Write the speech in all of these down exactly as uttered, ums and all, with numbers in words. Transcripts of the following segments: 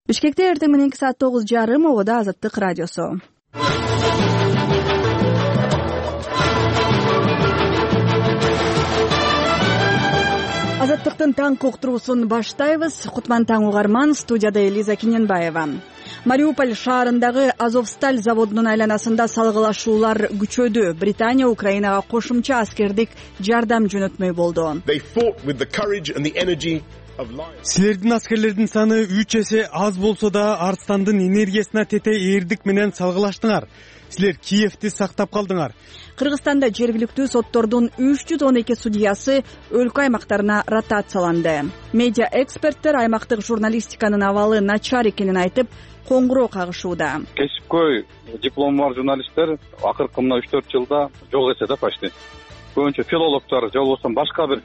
Бишкекте эртең мененки саат тогуз жарым ободо Азаттык радиосу. Азаттыктын таңкы уктуруусун баштайбыз. Кутман таң угарман, студияда Элиза Киненбаева. Мариуполь шаарындагы Азовсталь заводунун айланасында салгылашуулар күчөдү. Британия Украинага кошумча аскердик жардам жөнөтмөй болду. Силердин аскерлердин саны үч эсе аз болсо да Арстандын энергиясына тете эрдик менен салгылаштыңар. Силер Киевти сактап калдыңар. Кыргызстанда жергиликтүү соттордун үч жүз он эки судьясы өлкө аймактарына ротацияланды. Медиа эксперттер аймактык журналистиканын абалы начар экенин айтып, коңгуроо кагышууда. Кесипкөй диплому бар журналисттер акыркы мына үч төрт жылда жок эсе да почти. Көбүнчө филологдор же болбосо башка бир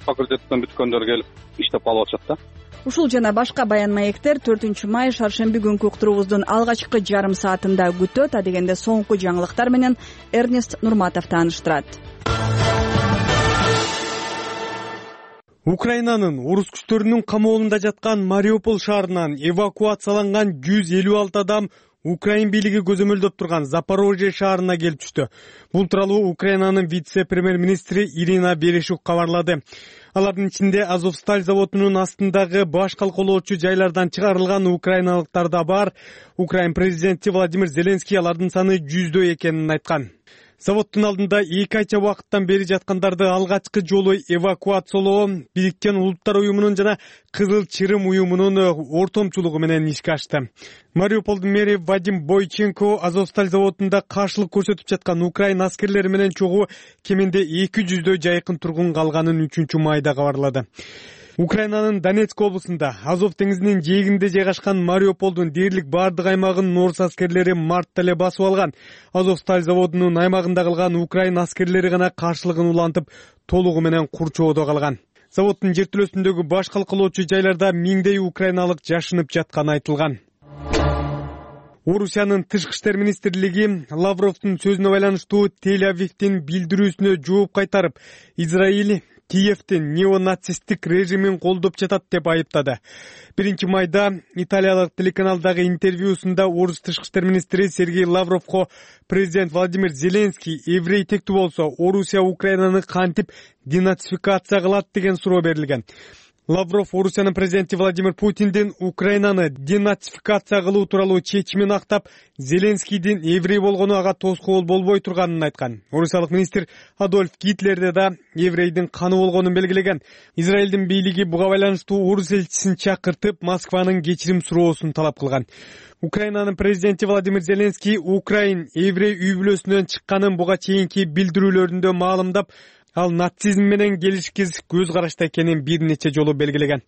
факультеттен бүткөндөр келип иштеп калып атышат да. Ушул жана башка баян маектер төртүнчү май шаршемби күнкү уктуруубуздун алгачкы жарым саатында күтөт. Адегенде соңку жаңылыктар менен Эрнест Нурматов тааныштырат. Украинанын орус күчтөрүнүн камоолунда жаткан Мариуполь шаарынан эвакуацияланган жүз элүү алты адам Украин бийлиги көзөмөлдөп турган Запорожье шаарына келип түштү. Бул тууралуу Украинанын вице-премьер-министри Ирина Берешук кабарлады. Алардын ичинде Азовсталь заводунун астындагы баш калкалоочу жайлардан чыгарылган украиналыктар да бар. Украин президенти Владимир Зеленский алардын саны жүздөй экенин айткан. Заводдун алдында эки айча убакыттан бери жаткандарды алгачкы жолу эвакуациялоо Бириккен Улуттар уюмунун жана Кызыл Чырым уюмунун ортомчулугу менен ишке ашты. Мариуполдун мэри Вадим Бойченко Азовсталь заводунда каршылык көрсөтүп жаткан Украин аскерлери менен чогуу кеминде эки жүздөй жайкын тургун калганын үчүнчү майда кабарлады. Украинанын Донецк облусунда Азов деңизинин жээгинде жайгашкан Мариуполдун дээрлик бардык аймагын орус аскерлери мартта эле басып алган. Азовсталь заводунун аймагында калган Украин аскерлери гана каршылыгын улантып, толугу менен курчоодо калган. Заводдун жертөлөсүндөгү баш калкалоочу жайларда миңдей украиналык жашынып жатканы айтылган. Орусиянын тышкы иштер министрлиги Лавровдун сөзүнө байланыштуу Тель-Авивдин билдирүүсүнө жооп кайтарып, Израиль Киевдин неонацисттик режимин колдоп жатат деп айыптады. Биринчи майда италиялык телеканалдагы интервьюсунда орус тышкы иштер министри Сергей Лавровго президент Владимир Зеленский еврей тектүү болсо Орусия Украинаны кантип денацификация кылат деген суроо берилген. Лавров Орусиянын президенти Владимир Путиндин Украинаны денацификация кылуу тууралуу чечимин актап, Зеленскийдин еврей болгону ага тоскоол болбой турганын айткан. Орусиялык министр Адольф Гитлерде да еврейдин каны болгонун белгилеген. Израилдин бийлиги буга байланыштуу орус элчисин чакыртып, Москванын кечирим суроосун талап кылган. Украинанын президенти Владимир Зеленский Украин еврей үй бүлөсүнөн чыкканын буга чейинки билдирүүлөрүндө маалымдап, ал нацизм менен келишкиз көз карашта экенин бир нече жолу белгилеген.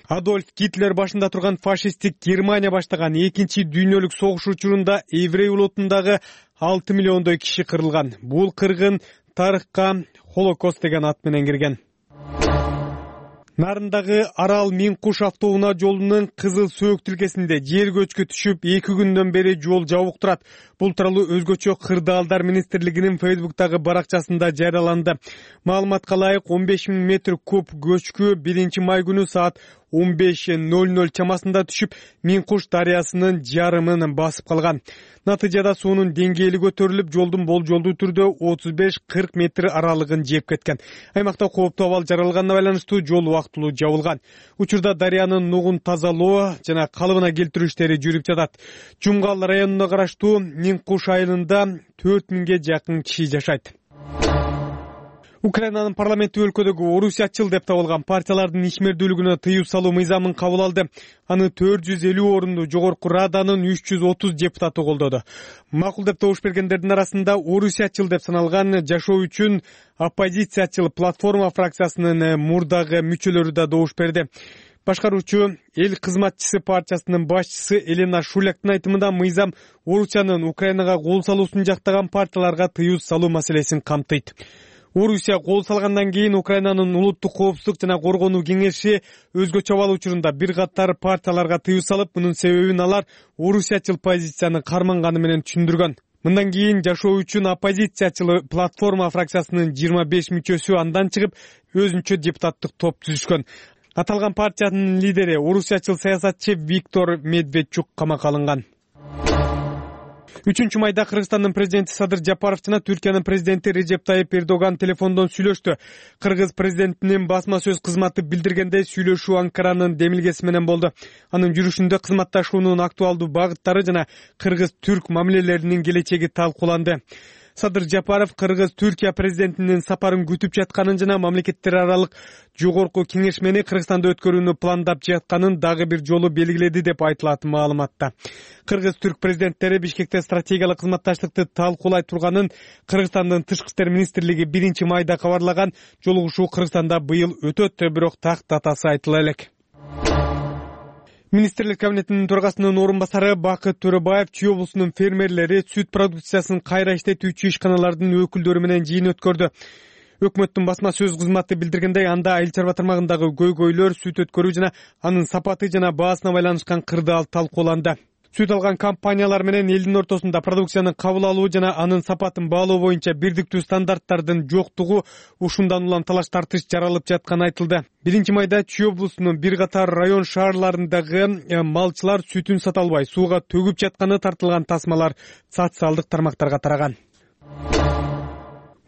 Адольф Гитлер башында турган фашисттик Германия баштаган экинчи дүйнөлүк согуш учурунда еврей улутундагы алты миллиондой киши кырылган. Бул кыргын тарыхка Холокост деген ат менен кирген. Нарындагы Арал Миңкуш автоунаа жолунун Кызыл Сөөк тилкесинде жер көчкү түшүп эки күндөн бери жол жабык турат. Бул тууралуу өзгөчө кырдаалдар министрлигинин Фейсбуктагы баракчасында жарыяланды. Маалыматка ылайык он беш миң метр куб көчкү биринчи май күнү саат он беш ноль ноль чамасында түшүп, Миңкуш дарыясынын жарымын басып калган. Натыйжада суунун деңгээли көтөрүлүп, жолдун болжолдуу түрдө отуз беш кырк метр аралыгын жеп кеткен. Аймакта кооптуу абал жаралганына байланыштуу жол убактылуу жабылган. Учурда дарыянын нугун тазалоо жана калыбына келтирүү иштери жүрүп жатат. Жумгал районуна караштуу Миңкуш айылында төрт миңге жакын киши жашайт. Украинанын парламенти өлкөдөгү орусиячыл деп табылган партиялардын ишмердүүлүгүнө тыюу салуу мыйзамын кабыл алды. Аны төрт жүз элүү орунду жогорку раданын үч жүз отуз депутаты колдоду. Макул деп добуш бергендердин арасында орусиячыл деп саналган жашоо үчүн оппозициячыл платформа фракциясынын мурдагы мүчөлөрү да добуш берди. Башкаруучу Эл кызматчысы партиясынын башчысы Елена Шуляктын айтымында мыйзам Орусиянын Украинага кол салуусун жактаган партияларга тыюу салуу маселесин камтыйт. Орусия кол салгандан кийин Украинанын улуттук коопсуздук жана коргонуу кеңеши өзгөчө абал учурунда бир катар партияларга тыюу салып, мунун себебин алар орусиячыл позицияны карманганы менен түшүндүргөн. Мындан кийин жашоо үчүн оппозициячыл платформа фракциясынын жыйырма беш мүчөсү андан чыгып, өзүнчө депутаттык топ түзүшкөн. Аталган партиянын лидери орусчачыл саясатчы Виктор Медведчук камакка алынган. үчүнчү майда Кыргызстандын президенти Садыр Жапаров жана Түркиянын президенти Режеп Тайип Эрдоган телефондон сүйлөштү. Кыргыз президентинин басма сөз кызматы билдиргендей, сүйлөшүү Анкаранын демилгеси менен болду. Анын жүрүшүндө кызматташуунун актуалдуу багыттары жана кыргыз-түрк мамилелеринин келечеги талкууланды. Садыр Жапаров Кыргыз-Түркия президентинин сапарын күтүп жатканын жана мамлекеттер аралык жогорку кеңешмени Кыргызстанда өткөрүүнү пландап жатканын дагы бир жолу белгиледи деп айтылат маалыматта. Кыргыз-түрк президенттери Бишкекте стратегиялык кызматташтыкты талкуулай турганын Кыргызстандын тышкы иштер министрлиги биринчи майда кабарлаган. Жолугушуу Кыргызстанда быйыл өтөт, бирок так датасы айтыла элек. Министрлер кабинетинин төрагасынын орун басары Бакыт Төрөбаев Чүй облусунун фермерлери сүт продукциясын кайра иштетүүчү ишканалардын өкүлдөрү менен жыйын өткөрдү. Өкмөттүн басма сөз кызматы билдиргендей, анда айыл чарба тармагындагы көйгөйлөр, сүт өткөрүү жана анын сапаты жана баасына байланышкан кырдаал талкууланды. Сүт алган компаниялар менен элдин ортосунда продукцияны кабыл алуу жана анын сапатын баалоо боюнча бирдиктүү стандарттардын жоктугу ушундан улам талаш тартыш жаралып жатканы айтылды. биринчи майда Чүй облусунун бир катар район шаарларындагы малчылар сүтүн сата албай сууга төгүп жатканы тартылган тасмалар социалдык тармактарга тараган.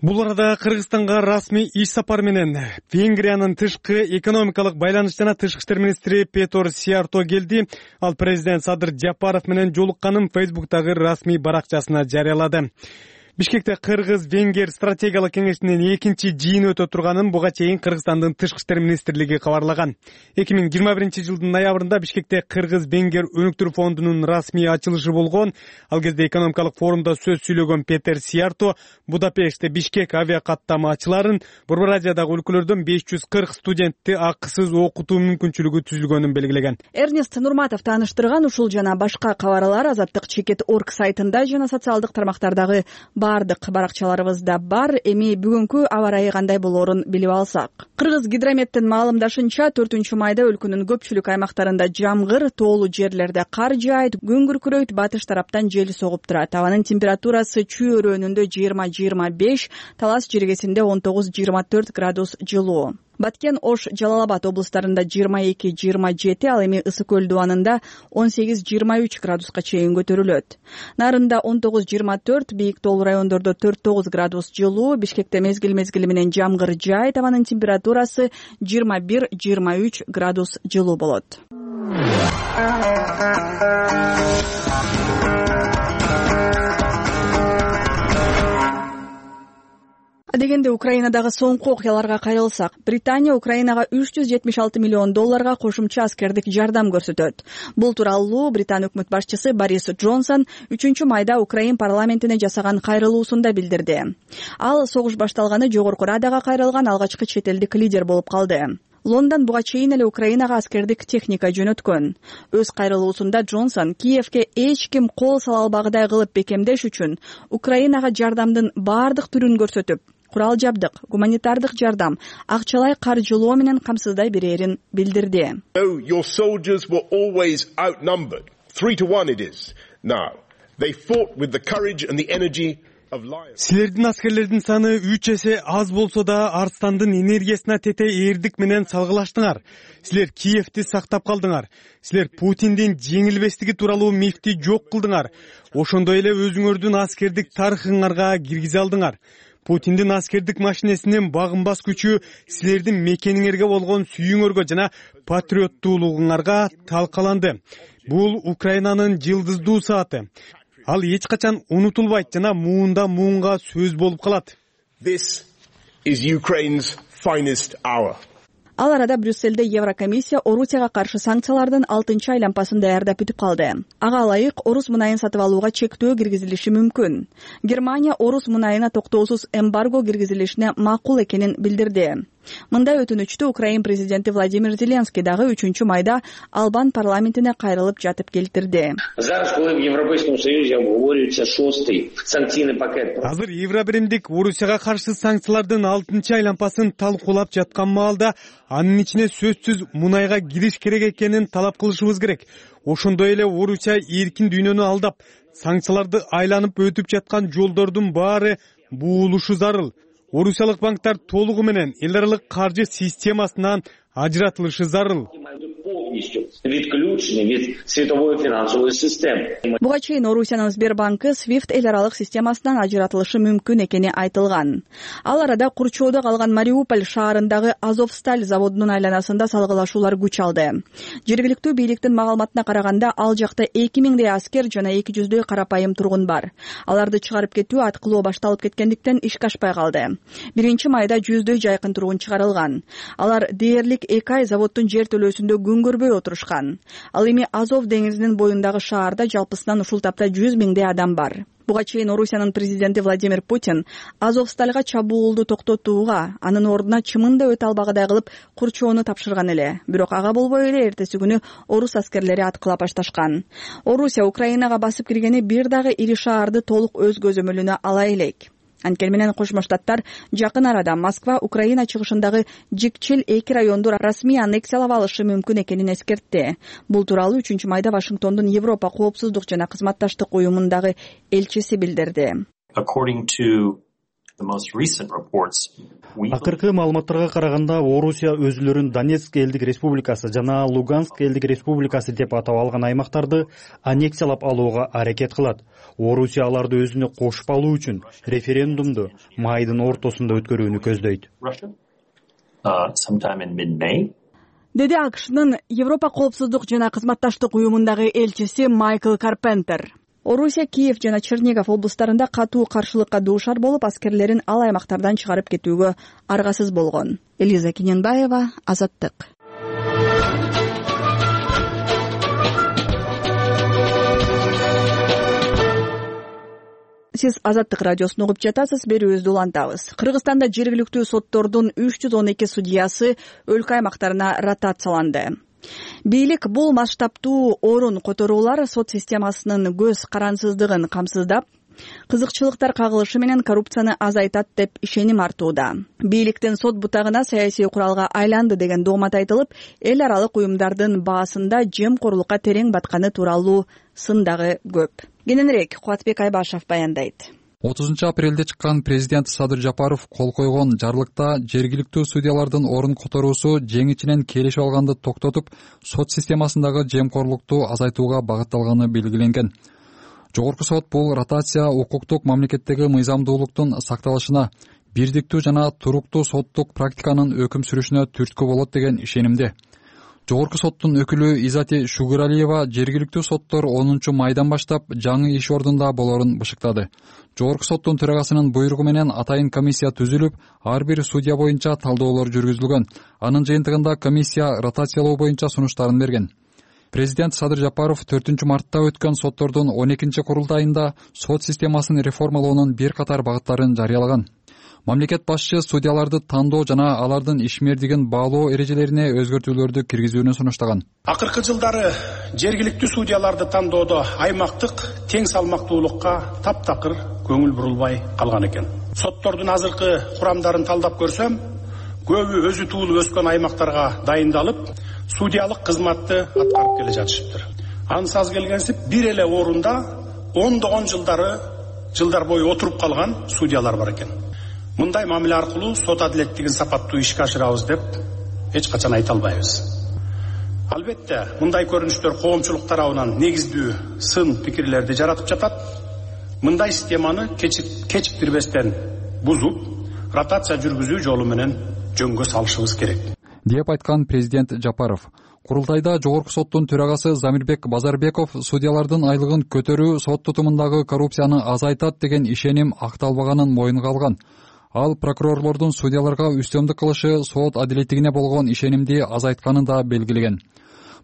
Бул арада Кыргызстанга расмий иш сапар менен Венгриянын тышкы экономикалык байланыш жана тышкы иштер министри Петор Сиярто келди. Ал президент Садыр Жапаров менен жолукканын Фейсбуктагы расмий баракчасына жарыялады. Бишкекте Кыргыз-Венгер стратегиялык кеңешинин экинчи жыйыны өтө турганын буга чейин Кыргызстандын тышкы иштер министрлиги кабарлаган. эки миң жыйырма биринчи жылдын ноябрында Бишкекте Кыргыз-Венгер өнүктүрүү фондунун расмий ачылышы болгон. Ал кезде экономикалык форумда сөз сүйлөгөн Петер Сиярто Будапештте Бишкек авиакаттама ачыларын, Борбор Азиядагы өлкөлөрдөн беш жүз кырк студентти акысыз окутуу мүмкүнчүлүгү түзүлгөнүн белгилеген. Эрнест Нурматов тааныштырган ушул жана башка кабарлар Азаттык чекит точка орг сайтында жана социалдык тармактардагы бардык баракчаларыбызда бар. Эми бүгүнкү аба ырайы кандай болоорун билип алсак. Кыргыз гидрометтин маалымдашынча, төртүнчү майда өлкөнүн көпчүлүк аймактарында жамгыр, тоолуу жерлерде кар жаайт, күн күркүрөйт, батыш тараптан жел согуп турат. Абанын температурасы Чүй өрөөнүндө жыйырма жыйырма беш, Талас жергесинде он тогуз жыйырма төрт градус жылуу. Баткен, Ош, Жалал Абад облустарында жыйырма эки жыйырма жети, ал эми Ысык көл дубанында он сегиз жыйырма үч градуска чейин көтөрүлөт. Нарында он тогуз жыйырма төрт, бийик тоолуу райондордо төрт тогуз градус жылуу. Бишкекте мезгил мезгили менен жамгыр жаайт, абанын температурасы жыйырма бир жыйырма үч градус жылуу болот. Дегенде Украинадагы соңку окуяларга кайрылсак, Британия Украинага үч жүз жетимиш алты миллион долларга кошумча аскердик жардам көрсөтөт. Бул тууралуу Британ өкмөт башчысы Борис Джонсон үчүнчү майда Украин парламентине жасаган кайрылуусунда билдирди. Ал согуш башталганы Жогорку Радага кайрылган алгачкы чет элдик лидер болуп калды. Лондон буга чейин эле Украинага аскердик техника жөнөткөн. Өз кайрылуусунда Джонсон Киевке эч ким кол сала албагыдай кылып бекемдеш үчүн Украинага жардамдын бардык түрүн көрсөтүп, курал жабдык, гуманитардык жардам, акчалай каржылоо менен камсыздай берерин билдирди. Your soldiers were always outnumbered. Three to one it is now. They fought with the courage and the energy of lions. Силердин аскерлердин саны үч эсе аз болсо да арстандын энергиясына тете эрдик менен салгылаштыңар. Силер Киевти сактап калдыңар. Силер Путиндин жеңилбестиги тууралуу мифти жок кылдыңар. Ошондой эле өзүңөрдүн аскердик тарыхыңарга киргизе алдыңар. Путиндин аскердик машинесинин багынбас күчү силердин мекениңерге болгон сүйүүңөргө жана патриоттуулугуңарга талкаланды. Бул Украинанын жылдыздуу сааты. Ал эч качан унутулбайт жана муунда муунга сөз болуп калат. This is Ukraine's finest hour. Ал арада Брюсселде Еврокомиссия Орусияга каршы санкциялардын алтынчы айлампасын даярдап бүтүп калды. Ага ылайык орус мунайын сатып алууга чектөө киргизилиши мүмкүн. Германия орус мунайына токтоосуз эмбарго киргизилишине макул экенин билдирди. Мындай өтүнүчтү Украин президенти Владимир Зеленский дагы үчүнчү майда Албан парламентине кайрылып жатып келтирди. Азыр Евробиримдик Орусияга каршы санкциялардын алтынчы айлампасын талкуулап жаткан маалда анын ичине сөзсүз мунайга кириш керек экенин талап кылышыбыз керек. Ошондой эле Орусия эркин дүйнөнү алдап, санкцияларды айланып өтүп жаткан жолдордун баары буулушу зарыл. Орусиялык банктар толугу менен эл аралык каржы системасынан ажыратылышы зарыл. Буга чейин Орусиянын Сбербанкы свифт эл аралык системасынан ажыратылышы мүмкүн экени айтылган. Ал арада курчоодо калган Мариуполь шаарындагы Азовсталь заводунун айланасында салгылашуулар күч алды. Жергиликтүү бийликтин маалыматына караганда, ал жакта эки миңдей аскер жана эки жүздөй карапайым тургун бар. Аларды чыгарып кетүү аткылоо башталып кеткендиктен ишке ашпай калды. биринчи майда жүздөй жайкын тургун чыгарылган. Алар дээрлик эки ай заводдун жер төлөөсүндө күн көрбөй отурушкан. Ал эми Азов деңизинин боюндагы шаарда жалпысынан ушул тапта жүз миңдей адам бар. Буга чейин Орусиянын президенти Владимир Путин Азовстальга чабуулду токтотууга, анын ордуна чымында өтө албагыдай кылып курчоону тапшырган эле. Бирок ага болбой эле эртеси күнү орус аскерлери аткылап башташкан. Орусия Украинага басып киргени бир дагы ири шаарды толук өз көзөмөлүнө ала элек. Анткени менен Кошмо Штаттар жакын арада Москва Украина чыгышындагы Жикчил эки районду расмий аннексиялап алышы мүмкүн экенин эскертти. Бул тууралуу үчүнчү майда Вашингтондун Европа коопсуздук жана кызматташтык уюмундагы элчиси билдирди. Акыркы маалыматтарга караганда, Орусия өзүлөрүн Донецк элдик республикасы жана Луганск элдик республикасы деп атап алган аймактарды аннексиялап алууга аракет кылат. Орусия аларды өзүнө кошуп алуу үчүн референдумду майдын ортосунда өткөрүүнү көздөйт. Деди АКШнын Европа коопсуздук жана кызматташтык уюмундагы элчиси Майкл Карпентер. Орусия Киев жана Чернигов облустарында катуу каршылыкка дуушар болуп, аскерлерин ал аймактардан чыгарып кетүүгө аргасыз болгон. Элиза Киненбаева, Азаттык. Сиз Азаттык радиосун угуп жатасыз, берүүбүздү улантабыз. Кыргызстанда жергиликтүү соттордун үч жүз он эки судьясы өлкө аймактарына ротацияланды. Бийлик бул масштабтуу орун которуулар сот системасынын көз карансыздыгын камсыздап, кызыкчылыктар кагылышы менен коррупцияны азайтат деп ишеним артууда. Бийликтин сот бутагына саясий куралга айланды деген доомат айтылып, эл аралык уюмдардын баасында жемкорлукка терең батканы тууралуу сын дагы көп. Кененирээк Кубатбек Айбашев баяндайт. отузунчу апрелде чыккан президент Садыр Жапаров кол койгон жарлыкта жергиликтүү судьялардын орун которуусу жеңичинен келишип алганды токтотуп, сот системасындагы жемкорлукту азайтууга багытталганы белгиленген. Жогорку сот бул ротация укуктук мамлекеттеги мыйзамдуулуктун сакталышына, бирдиктүү жана туруктуу соттук практиканын өкүм сүрүшүнө түрткү болот деген ишенимде. Жогорку соттун өкүлү Изати Шугуралиева жергиликтүү соттор онунчу майдан баштап жаңы иш ордунда болорун бышыктады. Жогорку соттун төрагасынын буйругу менен атайын комиссия түзүлүп, ар бир судья боюнча талдоолор жүргүзүлгөн. Анын жыйынтыгында комиссия ротациялоо боюнча сунуштарын берген. Президент Садыр Жапаров төртүнчү мартта өткөн соттордун он экинчи курултайында сот системасын реформалоонун бир катар багыттарын жарыялаган. Мамлекет башчы судьяларды тандоо жана алардын ишмердигин баалоо эрежелерине өзгөртүүлөрдү киргизүүнү сунуштаган. Акыркы жылдары жергиликтүү судьяларды тандоодо аймактык тең салмактуулукка таптакыр көңүл бурулбай калган экен. Соттордун азыркы курамдарын талдап көрсөм, көбү өзү туулуп өскөн аймактарга дайындалып, судьялык кызматты аткарып келе жатышыптыр. Ансыз келгенсип бир эле орунда ондогон жылдары жылдар бою отуруп калган судьялар бар экен. Мындай мамиле аркылуу сот адилеттигин сапаттуу ишке ашырабыз деп эч качан айта албайбыз. Албетте, мындай көрүнүштөр коомчулук тарабынан негиздүү сын пикирлерди жаратып жатат. Мындай системаны кечиктирбестен бузуп, ротация жүргүзүү жолу менен жөнгө салышыбыз керек, деп айткан президент Жапаров. Курултайда жогорку соттун төрагасы Замирбек Базарбеков судьялардын айлыгын көтөрүү сот тутумундагы коррупцияны азайтат деген ишеним акталбаганын моюнга алган. Ал прокурорлордун судьяларга үстөмдүк кылышы сот адилеттигине болгон ишенимди азайтканын да белгилеген.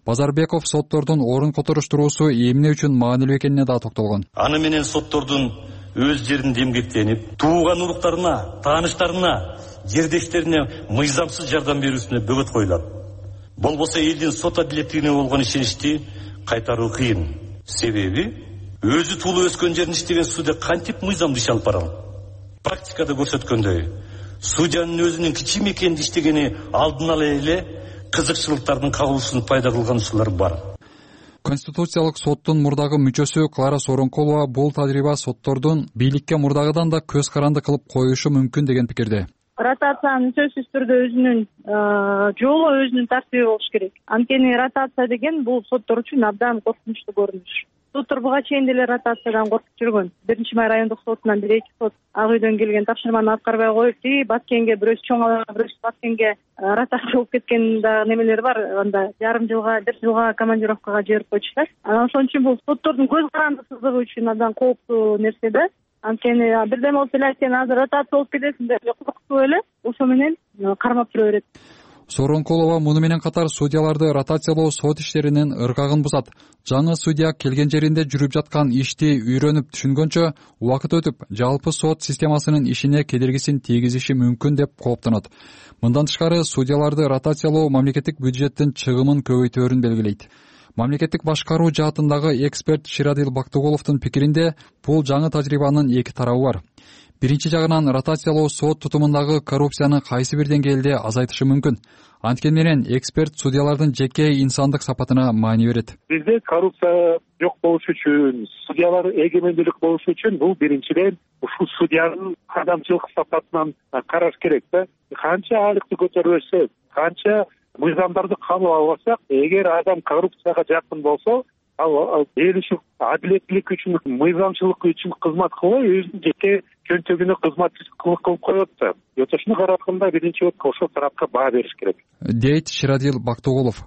Базарбеков соттордун орун которуштуруусу эмне үчүн маанилүү экенине да токтолгон. Аны менен соттордун өз жеринде эмгектенип, тууган уруктарына, тааныштарына, жердештерине мыйзамсыз жардам берүүсүнө бөгөт коюлат. Болбосо элдин сот адилеттигине болгон ишеничти кайтаруу кыйын. Себеби өзү туулуп өскөн жерин иштеген судья кантип мыйзамдуу иш алып барат? Практикада көрсөткөндөй, судьянын өзүнүн кичим экенди иштегени алдын ала эле кызыкчылыктардын кагылышын пайда кылган учурлар бар. Конституциялык соттун мурдагы мүчөсү Клара Сооронкулова бул тажрыйба соттордун бийликке мурдагыдан да көз каранды кылып коюшу мүмкүн деген пикирде. ротациянын сөзсүз түрдө өзүнүн жолу, өзүнүн тартиби болуш керек. Анткени ротация деген бул соттор үчүн абдан коркунучтуу көрүнүш. Соттор буга чейин деле ротациядан коркуп жүргөн. Биринчи май райондук сотунан бир эки сот ак үйдөн келген тапшырманы аткарбай коюп, и Баткенге бирөөсү чоң алага, бирөөсү Баткенге ротация болуп кеткен дагы немелер бар. Анда жарым жылга, бир жылга командировкага жиберип койчу да. Анан ошон үчүн бул соттордун көз карандысыздыгы үчүн абдан кооптуу нерсе да. Анткени бирдеме болуп эле сен азыр ротация болуп кетесиң деп коркутуп эле ошо менен кармап тура берет. Сооронкулова муну менен катар судьяларды ротациялоо сот иштеринин ыргагын бузат. Жаңы судья келген жеринде жүрүп жаткан ишти үйрөнүп түшүнгөнчө убакыт өтүп, жалпы сот системасынын ишине кедергисин тийгизиши мүмкүн деп кооптонот. Мындан тышкары судьяларды ротациялоо мамлекеттик бюджеттин чыгымын көбөйтөөрүн белгилейт. Мамлекеттик башкаруу жаатындагы эксперт Ширадил Бактыгуловдун пикиринде, бул жаңы тажрыйбанын эки тарабы бар. Биринчи жагынан ротациялоо сот тутумундагы коррупцияны кайсы бир деңгээлде азайтышы мүмкүн. Анткени менен эксперт судьялардын жеке инсандык сапатына маани берет. Бизде коррупция жок болуш үчүн, судьялар эгемендүүлүк болуш үчүн бул биринчиден ушул судьянын адамчылык сапатынан караш керек да. Канча айлыкты көтөрбөсөк, канча мыйзамдарды кабыл албасак, эгер адам коррупцияга жакын болсо, ал эл үчүн, адилеттүүлүк үчүн, мыйзамчылык үчүн кызмат кылбай, өзүнүн жеке чөнтөгүнө кызматчылык кылып коет да. Ошону караганда биринчи отко ошол тарапка баа бериш керек, дейт Ширадил Бактыгулов.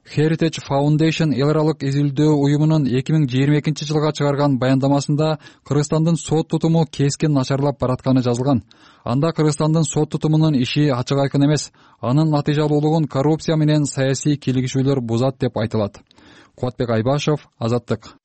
Heritage Foundation эл аралык изилдөө уюмунун эки миң жыйырма экинчи жылга чыгарган баяндамасында Кыргызстандын сот тутуму кескин начарлап баратканы жазылган. Анда Кыргызстандын сот тутумунун иши ачык айкын эмес, анын натыйжалуулугун коррупция менен саясий кийлигишүүлөр бузат деп айтылат. Кубатбек Айбашев, Азаттык.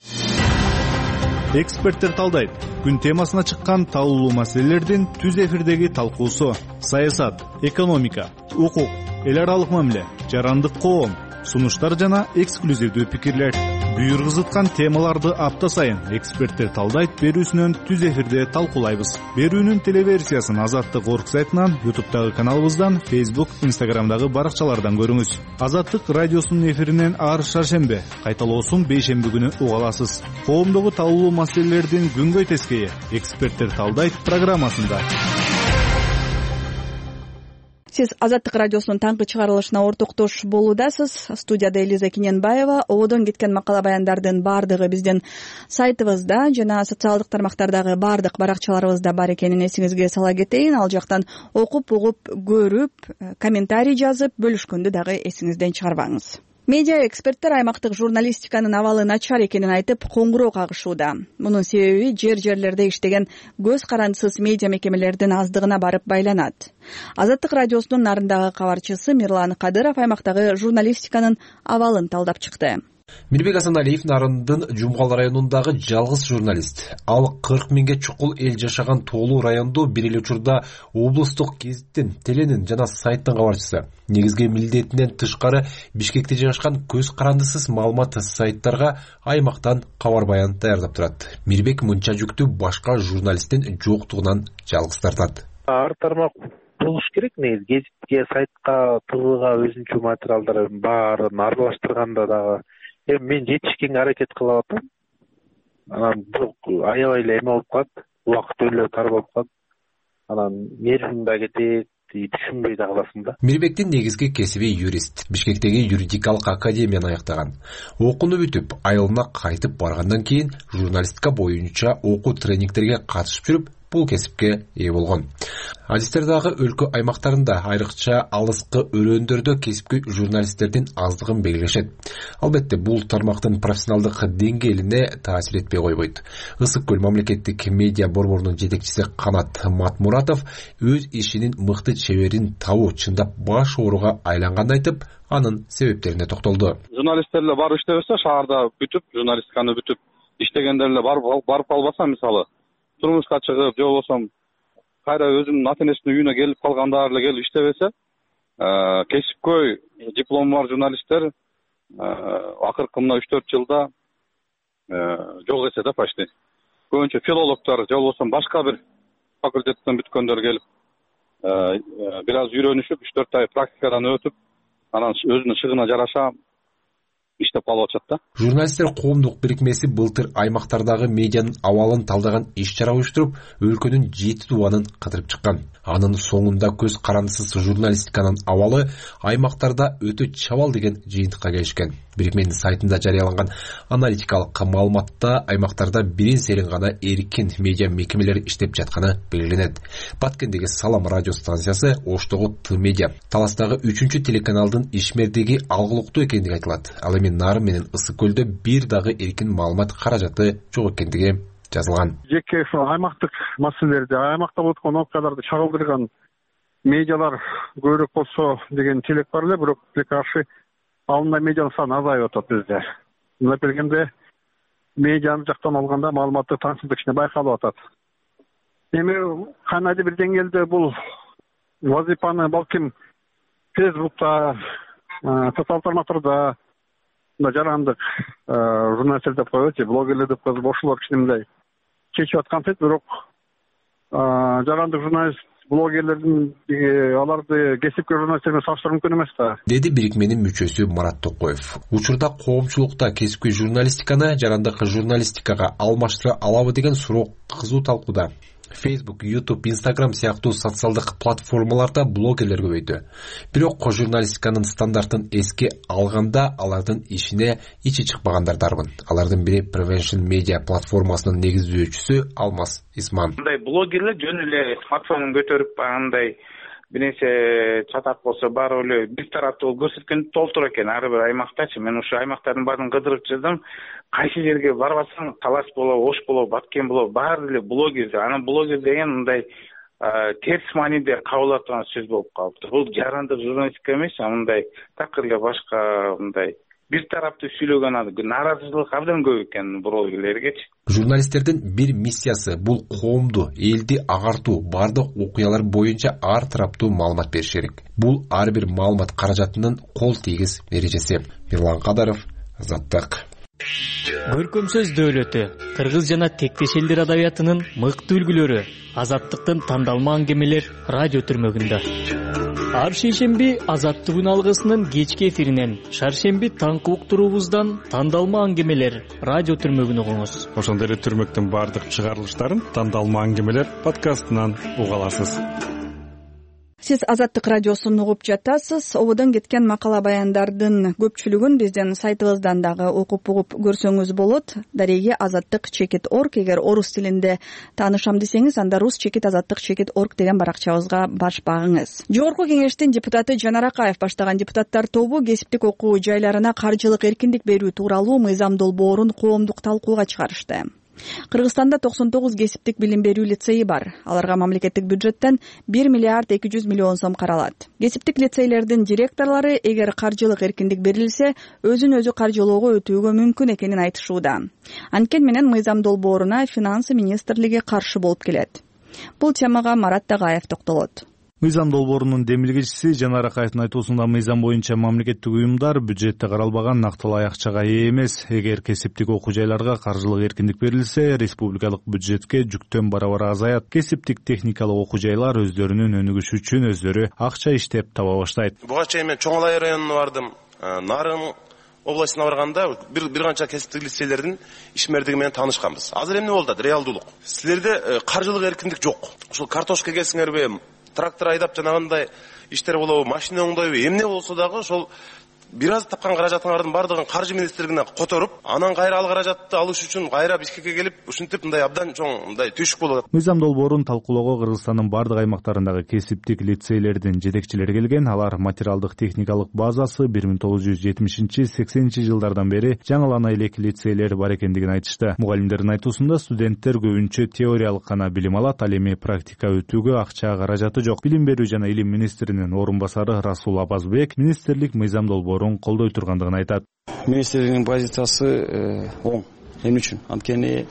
Эксперттер талдайт. Күн темасына чыккан талуулуу маселелердин түз эфирдеги талкуусу: саясат, экономика, укук, эл аралык мамиле, жарандык коом, сунуштар жана эксклюзивдүү пикирлер. Буйргузуткан темаларды апта сайын эксперттер талдайт берүүсүнөн түз эфирде талкуулайбыз. Берүүнүн телеверсиясын Азаттык орг сайтынан, ютубтагы каналыбыздан, фейсбук, инстаграмдагы баракчалардан көрүңүз. Азаттык радиосунун эфиринен ар шаршембе, кайталоосун бейшемби күнү уга аласыз. Коомдогу талуулуу маселелердин күнгөй тескейи эксперттер талдайт программасында. Сиз Азаттык радиосунун таңкы чыгарылышына ортоктош болуудасыз. Студияда Элиза Киненбаева. Ободон кеткен макала баяндардын баардыгы биздин сайтыбызда жана социалдык тармактардагы баардык баракчаларыбызда бар экенин эсиңизге сала кетейин. Ал жактан окуп, угуп, көрүп, комментарий жазып, бөлүшкөндү дагы эсиңизден чыгарбаңыз. Медиа эксперттер аймактык журналистиканын абалы начар экенин айтып, коңгуроо кагышууда. Мунун себеби жер-жерлерде иштеген көз карандысыз медиа мекемелердин аздыгына барып байланат. Азаттык радиосунун нарындагы кабарчысы Мирлан Кадыров аймактагы журналистиканын абалын талдап чыкты. Мирбек Асаналиев Нарындын Жумгал районундагы жалгыз журналист. Ал кырк миңге чукул эл жашаган Тоолуу райондо бир эле учурда облустук гезиттин, теленин жана сайттын кабарчысы. Негизги милдетинен тышкары Бишкекте жайгашкан көз карандысыз маалымат сайттарга аймактан кабар баян даярдап турат. Мирбек мынча жүктү башка журналисттин жоктугунан жалгыз тартат. Ар тармак болуш керек, негизи гезитке, сайтка, твга өзүнчө материалдарын баарын аралаштырганда дагы эми мен жетишкенге аракет кылып атам. Анан бирок аябай эле эме болуп калат, убакыт өлө тар болуп калат. Анан нервиң да кетет, түшүнбөй да каласың да. Мирбектин негизги кесиби юрист. Бишкектеги юридикалык академияны аяктаган. Окууну бүтүп, айылына кайтып баргандан кийин журналистика боюнча окуу тренингтерге катышып жүрүп, бул кесипке ээ болгон. Адистер дагы өлкө аймактарында, айрыкча алыскы өрөөндөрдө кесипкөй журналисттердин аздыгын белгилешет. Албетте, бул тармактын профессионалдык деңгээлине таасир этпей койбойт. Ысык көл мамлекеттик медиа борборунун жетекчиси Канат Матмуратов өз ишинин мыкты чеберин табуу чындап баш ооруга айланганын айтып, анын себептерине токтолду. Журналисттер эле барып иштебесе, шаарда бүтүп, журналистиканы бүтүп иштегендер эле барып албаса, мисалы турмушка чыгып, же болбосо кайра өзүнүн ата энесинин үйүнө келип калгандар эле келип иштебесе, кесипкөй диплому бар журналисттер акыркы мына үч төрт жылда жок эсе да почти. Көбүнчө филологдор же болбосо башка бир факультеттен бүткөндөр келип бир аз үйрөнүшүп, үч төрт ай практикадан өтүп, анан өзүнүн шыгына жараша иштеп калып атышат да. Журналисттер коомдук бирикмеси былтыр аймактардагы медианын абалын талдаган иш-чара уюштуруп, өлкөнүн жети тубанын кыдырып чыккан. Анын соңунда көз карандысыз журналистиканын абалы аймактарда өтө чабал деген жыйынтыкка келишкен. Бирикменин сайтында жарыяланган аналитикалык маалыматта аймактарда бирин серин гана эркин медиа мекемелери иштеп жатканы белгиленет. Баткендеги Салам радио станциясы, Оштогу Т медиа, Таластагы үчүнчү телеканалдын ишмердиги алгылыктуу экендиги айтылат. Ал эми Нарын менен Ысык көлдө бир дагы эркин маалымат каражаты жок экендиги жазылган. Жеке ошо аймактык маселелерди, аймакта болуп аткан окуяларды чагылдырган медиалар көбүрөөк болсо деген тилек бар эле, бирок тилекке каршы алындай медианын саны азайып атат бизде. Мындай келгенде медианы жактан алганда маалыматтык таңсыздык кичине байкалып атат. Эми кандайдыр бир деңгээлде бул вазифаны балким Фейсбукта, социалдык тармактарда мындай жарандык журналисттер деп коебузчу, блогерлер деп коебуз, ошолор кичине мындай чечип аткан сөз, бирок жарандык журналист блогерлердин аларды кесипкер журналисттермен салыштыруу мүмкүн эмес да, деди бирикменин мүчөсү Марат Токоев. Учурда коомчулукта кесипкөй журналистиканы жарандык журналистикага алмаштыра алабы деген суроо кызуу талкууда. Facebook, YouTube, Instagram сыяктуу социалдык платформаларда блогерлер көбөйдү. Бирок журналистиканын стандартын эске алганда алардын ишине ичи чыкпагандар дарбын. Алардын бири Prevention Media платформасынын негиздөөчүсү Алмаз Исман. Мындай блогерлер жөн эле смартфонун көтөрүп андай бир нерсе чатак болсо баары эле бир тараптуу көрсөткөн толтур экен ар бир аймактачы. Мен ушу аймактардын баарын кыдырып чыгдым. Кайсы жерге барбасаң, Талас болобу, Ош болобу, Баткен болобу, баары эле блогер. Анан блогер деген мындай терс мааниде кабыл алып турган сөз болуп калыптыр. Бул жарандык журналистика эмес, мындай такыр эле башка мындай бир тараптуу сүйлөгөн нааразычылык абдан көп экен блогерлергечи. Журналисттердин бир миссиясы бул коомду, элди агартуу, бардык окуялар боюнча ар тараптуу маалымат бериш керек. Бул ар бир маалымат каражатынын кол тийгиз эрежеси. Мирлан Кадаров, Азаттык. Көркөм сөз дөөлөтү, кыргыз жана тектеш элдер адабиятынын мыкты үлгүлөрү, Азаттыктын тандалма аңгемелер радио түрмөгүндө. Ар шейшемби Азаттык күн алгысынын кечки эфиринен, шаршемби таңкы уктуруубуздан тандалма аңгемелер радио түрмөгүн угуңуз. Ошондой эле түрмөктүн бардык чыгарылыштарын тандалма аңгемелер подкастынан уга аласыз. Сиз Азаттык радиосун угуп жатасыз. Ободон кеткен макала баяндардын көпчүлүгүн биздин сайтыбыздан дагы окуп угуп көрсөңүз болот. Дареги азаттык чекит орг. Эгер орус тилинде таанышам десеңиз, анда рус чекит азаттык чекит орг деген баракчабызга баш багыңыз. Жогорку кеңештин депутаты Жанар Акаев баштаган депутаттар тобу кесиптик окуу жайларына каржылык эркиндик берүү тууралуу мыйзам долбоорун коомдук талкууга чыгарышты. Кыргызстанда токсон тогуз кесиптик билим берүү лицейи бар. Аларга мамлекеттик бюджеттен бир миллиард эки жүз миллион сом каралат. Кесиптик лицейлердин директорлору эгер каржылык эркиндик берилсе, өзүн өзү каржылоого өтүүгө мүмкүн экенин айтышууда. Анткени менен мыйзам долбооруна финансы министрлиги каршы болуп келет. Бул темага Марат Тагаев токтолот. Мыйзам долбоорунун демилгечиси Жанар Акаевдин айтуусунда мыйзам боюнча мамлекеттик уюмдар бюджетте каралбаган нактылуу акчага ээ эмес. Эгер кесиптик окуу жайларга каржылык эркиндик берилсе, республикалык бюджетке жүктөн барабар азаят. Кесиптик техникалык окуу жайлар өздөрүнүн өнүгүшү үчүн өздөрү акча иштеп таба баштайт. Буга чейин мен Чоң Алай районуна бардым, Нарын областына барганда бир бир канча кесиптик лицейлердин ишмердиги менен таанышканбыз. Азыр эмне болду? Реалдуулук. Силерде каржылык эркиндик жок. Ушул картошка экесиңерби, трактор айдап жанагындай иштер болобу, машина оңдойбу, эмне болсо дагы ошол бир аз тапкан каражатыңардын бардыгын каржы министрлигине которуп, анан кайра ал каражатты алыш үчүн кайра Бишкекке келип, ушинтип мындай абдан чоң мындай түйшүк болот. Мыйзам долбоорун талкуулоого Кыргызстандын бардык аймактарындагы кесиптик лицейлердин жетекчилери келген. Алар материалдык техникалык базасы бир миң тогуз жүз жетимишинчи сексенинчи жылдардан бери жаңылана элек лицейлер бар экендигин айтышты. Мугалимдердин айтуусунда студенттер көбүнчө теориялык гана билим алат, ал эми практика өтүүгө акча каражаты жок. Билим берүү жана илим министринин орун басары Расул Абазбек министрлик мыйзам долбоорун колдой тургандыгын айтат. Министрлигинин позициясы оң. Эмне үчүн? Анткени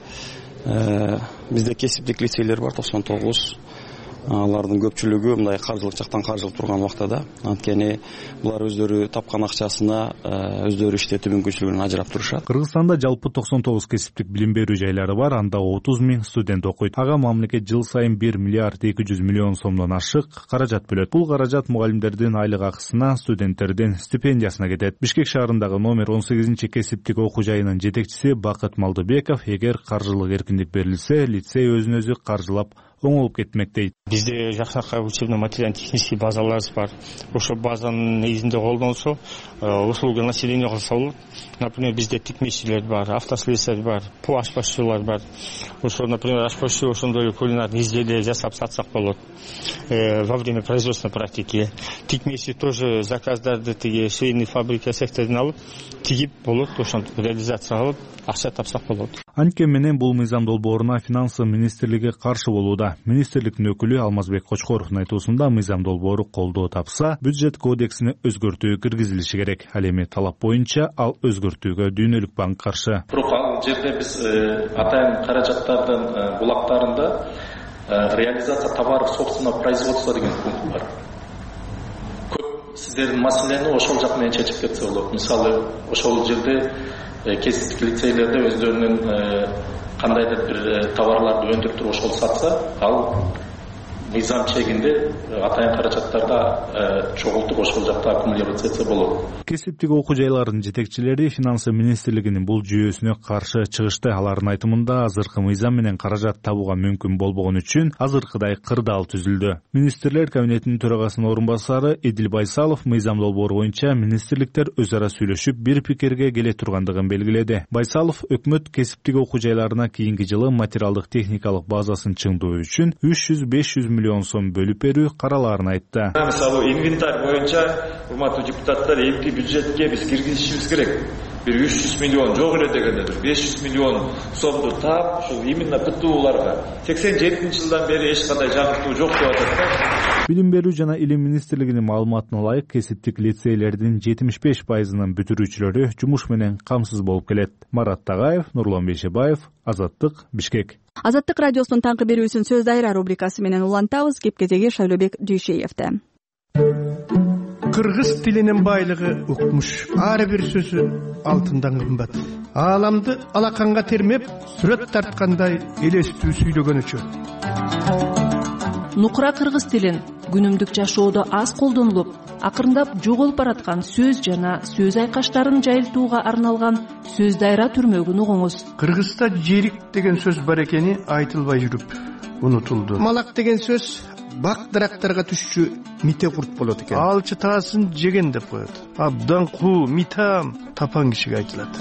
бизде кесиптик лицейлер бар токсон тогуз. алардын көпчүлүгү мындай каржылык жактан каржылып турган убакта, анткени булар өздөрү тапкан акчасына өздөрү иштетүү мүмкүнчүлүгүн ажырап турушат. Кыргызстанда жалпы токсон тогуз кесиптик билим берүү жайлары бар, анда отуз миң студент окуйт. Ага мамлекет жыл сайын бир миллиард эки жүз миллион сомдон ашык каражат бөлөт. Бул каражат мугалимдердин айлык акысына, студенттердин стипендиясына кетет. Бишкек шаарындагы номер он сегизинчи кесиптик окуу жайынын жетекчиси Бакыт Малдыбеков эгер каржылык эркиндик берилсе, лицей өзүн өзү каржылап оңолуп кетмек дейт. Бизде жакшыракай учебно материально технический базаларыбыз бар. Ошол базанын негизинде колдонсо, услуга населения кылса болот. Например, бизде тикмечилер бар, автослесарь бар, по ашпазчылар бар. Ошо, например, ашпазчы ошондой эле кулинарный изделия жасап сатсак болот. Во время производственной практики тикмечи тоже заказдарды тиги швейный фабрика секторунан алып тигип болот, ошентип реализация кылып акча тапсак болот. Анткени менен бул мыйзам долбооруна финансы министрлиги каршы болууда. Министрликтин өкүлү Алмазбек Кочкоровдун айтуусунда мыйзам долбоору колдоо тапса, бюджет кодексине өзгөртүү киргизилиши керек. Ал эми талап боюнча ал өзгөртүүгө Дүйнөлүк банк каршы. Бирок ал жерде биз атайын каражаттардын булактарында реализация товаров собственного производства деген пункт бар. Көп сиздердин маселени ошол жак менен чечип кетсе болот. Мисалы, ошол жерде кесиптик лицейлерде өздөрүнүн кандайдыр бир товарларды өндүрүп туруп ошол сатса, ал мыйзам чегинде атайын каражаттарда чогултуп ошол жакта аккумулироваться этсе болот. Кесиптик окуу жайларынын жетекчилери финансы министрлигинин бул жүйөсүнө каршы чыгышты. Алардын айтымында азыркы мыйзам менен каражат табууга мүмкүн болбогон үчүн азыркыдай кырдаал түзүлдү. Министрлер кабинетинин төрагасынын орун басары Эдил Байсалов мыйзам долбоору боюнча министрликтер өз ара сүйлөшүп бир пикирге келе тургандыгын белгиледи. Байсалов өкмөт кесиптик окуу жайларына кийинки жылы материалдык техникалык базасын чыңдоо үчүн үч жүз беш жүз миллион сом бөлүп берүү каралаарын айтты. Мисалы, инвентарь боюнча урматтуу депутаттар, эмки бюджетке биз киргизишибиз керек. Бир үч жүз миллион жок эле дегенде беш жүз миллион сомду таап, ушул именно ПТУларга сексен жетинчи жылдан бери эч кандай жаңыртуу жок деп атат да. Билим берүү жана илим министрлигинин маалыматына ылайык, кесиптик лицейлердин жетимиш беш пайызынын бүтүрүүчүлөрү жумуш менен камсыз болуп келет. Марат Тагаев, Нурлан Бейшебаев, Азаттык, Бишкек. Азаттык радиосунун таңкы берүүсүн сөз дайра рубрикасы менен улантабыз. Кепкезеги Шайлообек Дүйшеевде. Кыргыз тилинин байлыгы укмуш. Ар бир сөзү алтындан кымбат. Ааламды алаканга термеп, сүрөт тарткандай элестүү сүйлөгөнүчө. Нукура кыргыз тилин күнүмдүк жашоодо аз колдонулуп, акырындап жоголуп бараткан сөз жана сөз айкаштарын жайылтууга арналган сөз дайра түрмөгүн угуңуз. Кыргызда жерик деген сөз бар экени айтылбай жүрүп унутулду. Малак деген сөз бак дарактарга түшчү мите курт болот экен. Алчы таасын жеген деп коет. Абдан куу, митам тапан кишиге айтылат.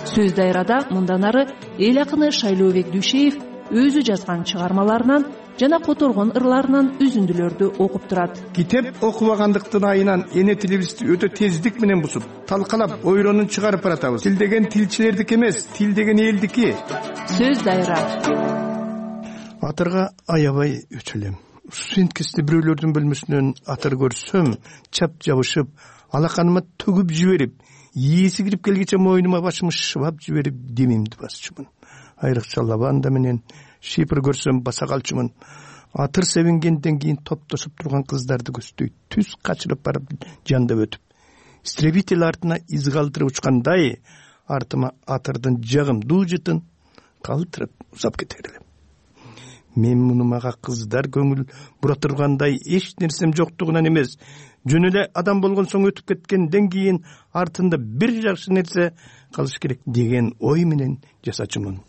Сөз дайрада мындан ары эл акыны Шайлообек Дүйшеев өзү жазган чыгармаларынан жана которгон ырларынан үзүндүлөрдү окуп турат. Китеп окубагандыктын айынан эне тилибизди өтө тездик менен бузуп, талкалап, ойронун чыгарып баратабыз. Тил деген тилчилердики эмес, тил деген элдики. Сөз дайра. Атырга аябай өтөлөм. Студенткесте бирөөлөрдүн бөлмөсүнөн атыр көрсөм, чап жабышып, алаканыма төгүп жиберип, ээси кирип келгече мойнума башымы шыбап жиберип, демимди басчумун. Айрыкча лаванда менен шипр көрсөм баса калчумун. Атыр себингенден кийин топтошуп турган кыздарды көздөй түз качырып барып жандап өтүп, истребитель артына из калтырып учкандай, артыма атырдын жагымдуу жытын калтырып узап кетер элем. Мен муну мага кыздар көңүл бура тургандай эч нерсем жоктугунан эмес, жөн эле адам болгон соң өтүп кеткенден кийин артында бир жакшы нерсе калыш керек деген ой менен жасачумун.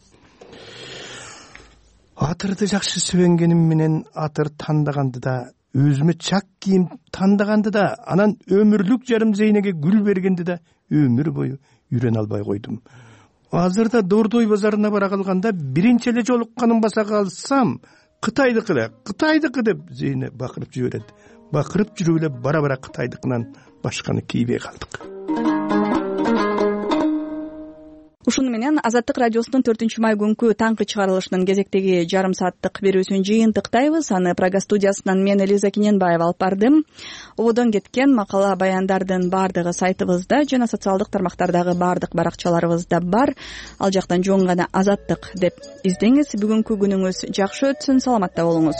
Атырды жакшы сүйенгеним менен атыр тандаганды да, өзүмө чак кийим тандаганды да, анан өмүрлүк жарым зейнеге гүл бергенди да өмүр бою үйрөнө албай койдум. Азырда Дордой базарына бара калганда биринчи эле жолукканын баса калсам, Кытайдыкы эле, Кытайдыкы деп зейне бакырып жиберет. Бакырып жүрүп эле бара-бара Кытайдыкынан башканы кийбей калдык. Ушуну менен Азаттык радиосунун төртүнчү май күнкү таңкы чыгарылышынын кезектеги жарым сааттык берүүсүн жыйынтыктайбыз. Аны Прага студиясынан мен Элиза Киненбаева алып бардым. Ободон кеткен макала баяндардын баардыгы сайтыбызда жана социалдык тармактардагы баардык баракчаларыбызда бар. Ал жактан жөн гана Азаттык деп издеңиз. Бүгүнкү күнүңүз жакшы өтсүн, саламатта болуңуз.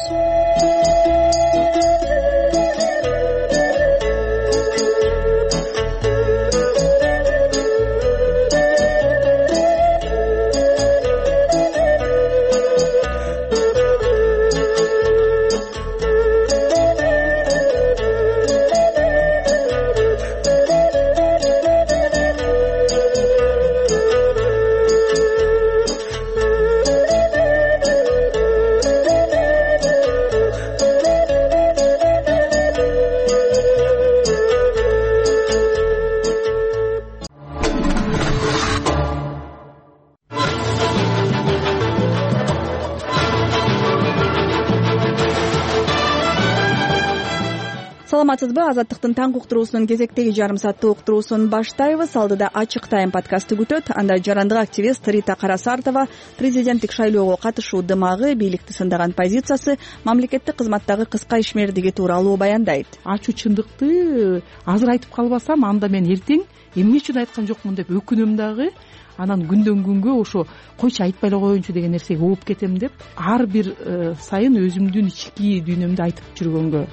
Саламатсызбы? Азаттыктын таңкы уктуруусунун кезектеги жарым сааттык уктуруусун баштайбыз. Алдыда ачык тайм подкасты күтөт. Анда жарандык активист Рита Карасартова президенттик шайлоого катышуу дымагы, бийликти сындаган позициясы, мамлекеттик кызматтагы кыска ишмердиги тууралуу баяндайт. Ачуу чындыкты азыр айтып калбасам, анда мен эртең эмне үчүн айткан жокмун деп өкүнөм дагы. Анан күндөн күнгө ошо койчу айтпай эле коеюнчу деген нерсеге ооп кетем деп ар бир сайын өзүмдүн ички дүйнөмдү айтып жүргөнгө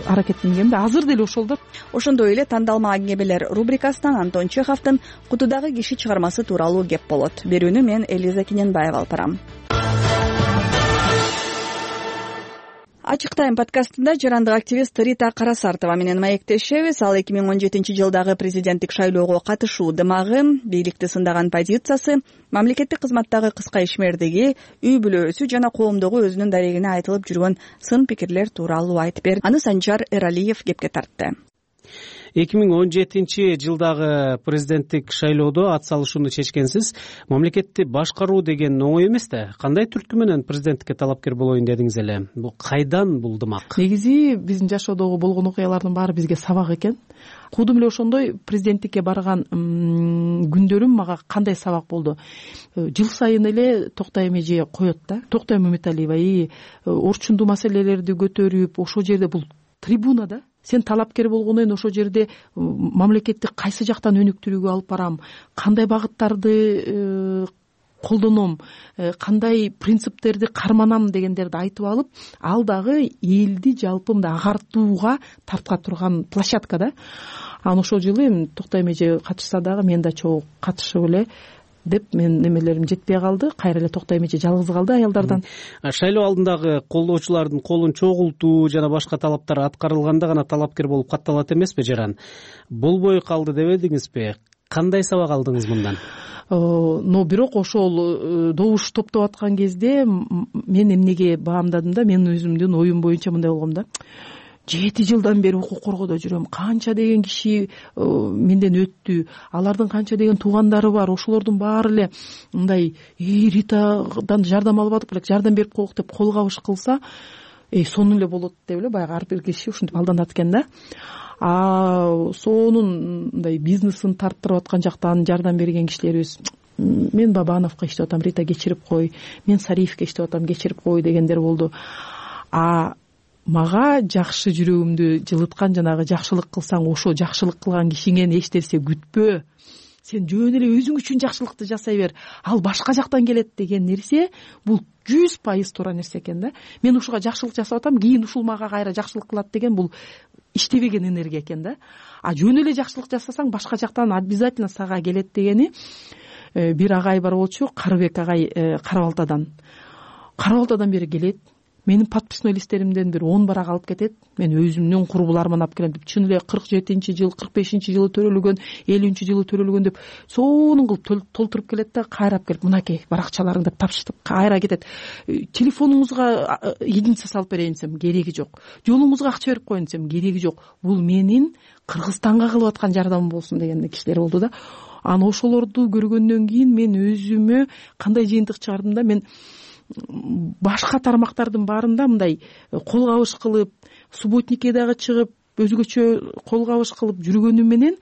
аракеттенгем да азыр деле ошол да. Ошондой эле тандалма аңгемелер рубрикасынан Антон Чеховдун Кутудагы киши чыгармасы тууралуу кеп болот. Берүүнү мен Элиза Киненбаева алып барам. Ачык тайм подкастында жарандык активист Рита Карасартова менен маектешебиз. Ал эки миң он жетинчи жылдагы президенттик шайлоого катышуу дымагы, бийликти сындаган позициясы, мамлекеттик кызматтагы кыска ишмердиги, үй бүлөсү жана коомдогу өзүнүн дарегине айтылып жүргөн сын пикирлер тууралуу айтып берди. Аны Санжар Эралиев кепке тартты. эки миң он жетинчи жылдагы президенттик шайлоодо ат салышууну чечкенсиз. Мамлекетти башкаруу деген оңой эмес да. Кандай түрткү менен президенттикке талапкер болоюн дедиңиз эле? Бул кайдан бул дымак? Негизи биздин жашоодогу болгон окуялардын баары бизге сабак экен. Кудум эле ошондой президенттикке барган күндөрүм мага кандай сабак болду. Жыл сайын эле Токтой Эмеже коет да. Токтой Мөмөталиева и орчундуу маселелерди көтөрүп, ошол жерде бул трибуна да. Сен талапкер болгондон ошол жерде мамлекетти кайсы жактан өнүктүрүүгө алып барам, кандай багыттарды колдоном, кандай принциптерди карманам дегендерди айтып алып, ал дагы элди жалпы мындай агартууга тарта турган площадка да. Анан ошол жылы эми Токтой Эмеже катышса дагы мен да чогуу катышып эле деп мен немелерим жетпей калды. Кайра эле Токтой Эмеже жалгыз калды аялдардан. Шайлоо алдындагы колдоочулардын колун чогултуу жана башка талаптар аткарылганда гана талапкер болуп катталат эмеспи жаран? Болбой калды дебедиңизби? Кандай сабак алдыңыз мындан? Но бирок ошол добуш топтоп аткан кезде мен эмнеге баамдадым да, мен өзүмдүн оюм боюнча мындай болгом да. Жети жылдан бери укук коргоодо жүрөм. Канча деген киши менден өттү. Алардын канча деген туугандары бар. Ошолордун баары эле мындай Ритадан жардам алып атып элек, жардам берип коелук деп кол кабыш кылса, эй сонун эле болот деп эле баягы ар бир киши ушинтип алданат экен да. А сонун мындай бизнесин тарттырып аткан жактан жардам берген кишилерибиз, мен Бабановго иштеп атам, Рита кечирип кой, мен Сариевке иштеп атам, кечирип кой дегендер болду. А мага жакшы жүрөгүмдү жылыткан, жанагы жакшылык кылсаң ошо жакшылык кылган кишиңен эч нерсе күтпө, сен жөн эле өзүң үчүн жакшылыкты жасай бер, ал башка жактан келет деген нерсе бул жүз пайыз туура нерсе экен да. Мен ушуга жакшылык жасап атам, кийин ушул мага кайра жакшылык кылат деген бул иштебеген энергия экен да. А жөн эле жакшылык жасасаң башка жактан обязательно сага келет дегени бир агай бар болчу, Карыбек агай Кара Балтадан. Кара Балтадан бери келет. Менин подписной листтеримден бир он барак алып кетет. Мен өзүмдүн курбуларыман алып келем деп, чын эле кырк жетинчи жыл, кырк бешинчи жылы төрөлгөн, элүүнчү жылы төрөлгөн деп сонун кылып толтуруп келет да, кайрап келип, мынакей баракчаларың деп тапшыртып кайра кетет. Телефонуңузга единица салып берейин десем, кереги жок. Жолуңузга акча берип коеюн десем, кереги жок. Бул менин Кыргызстанга кылып аткан жардамым болсун деген кишилер болду да. Анан ошолорду көргөндөн кийин мен өзүмө кандай жыйынтык чыгардым да, мен башка тармактардын баарында мындай кол кабыш кылып, субботникке дагы чыгып, өзгөчө кол кабыш кылып жүргөнүм менен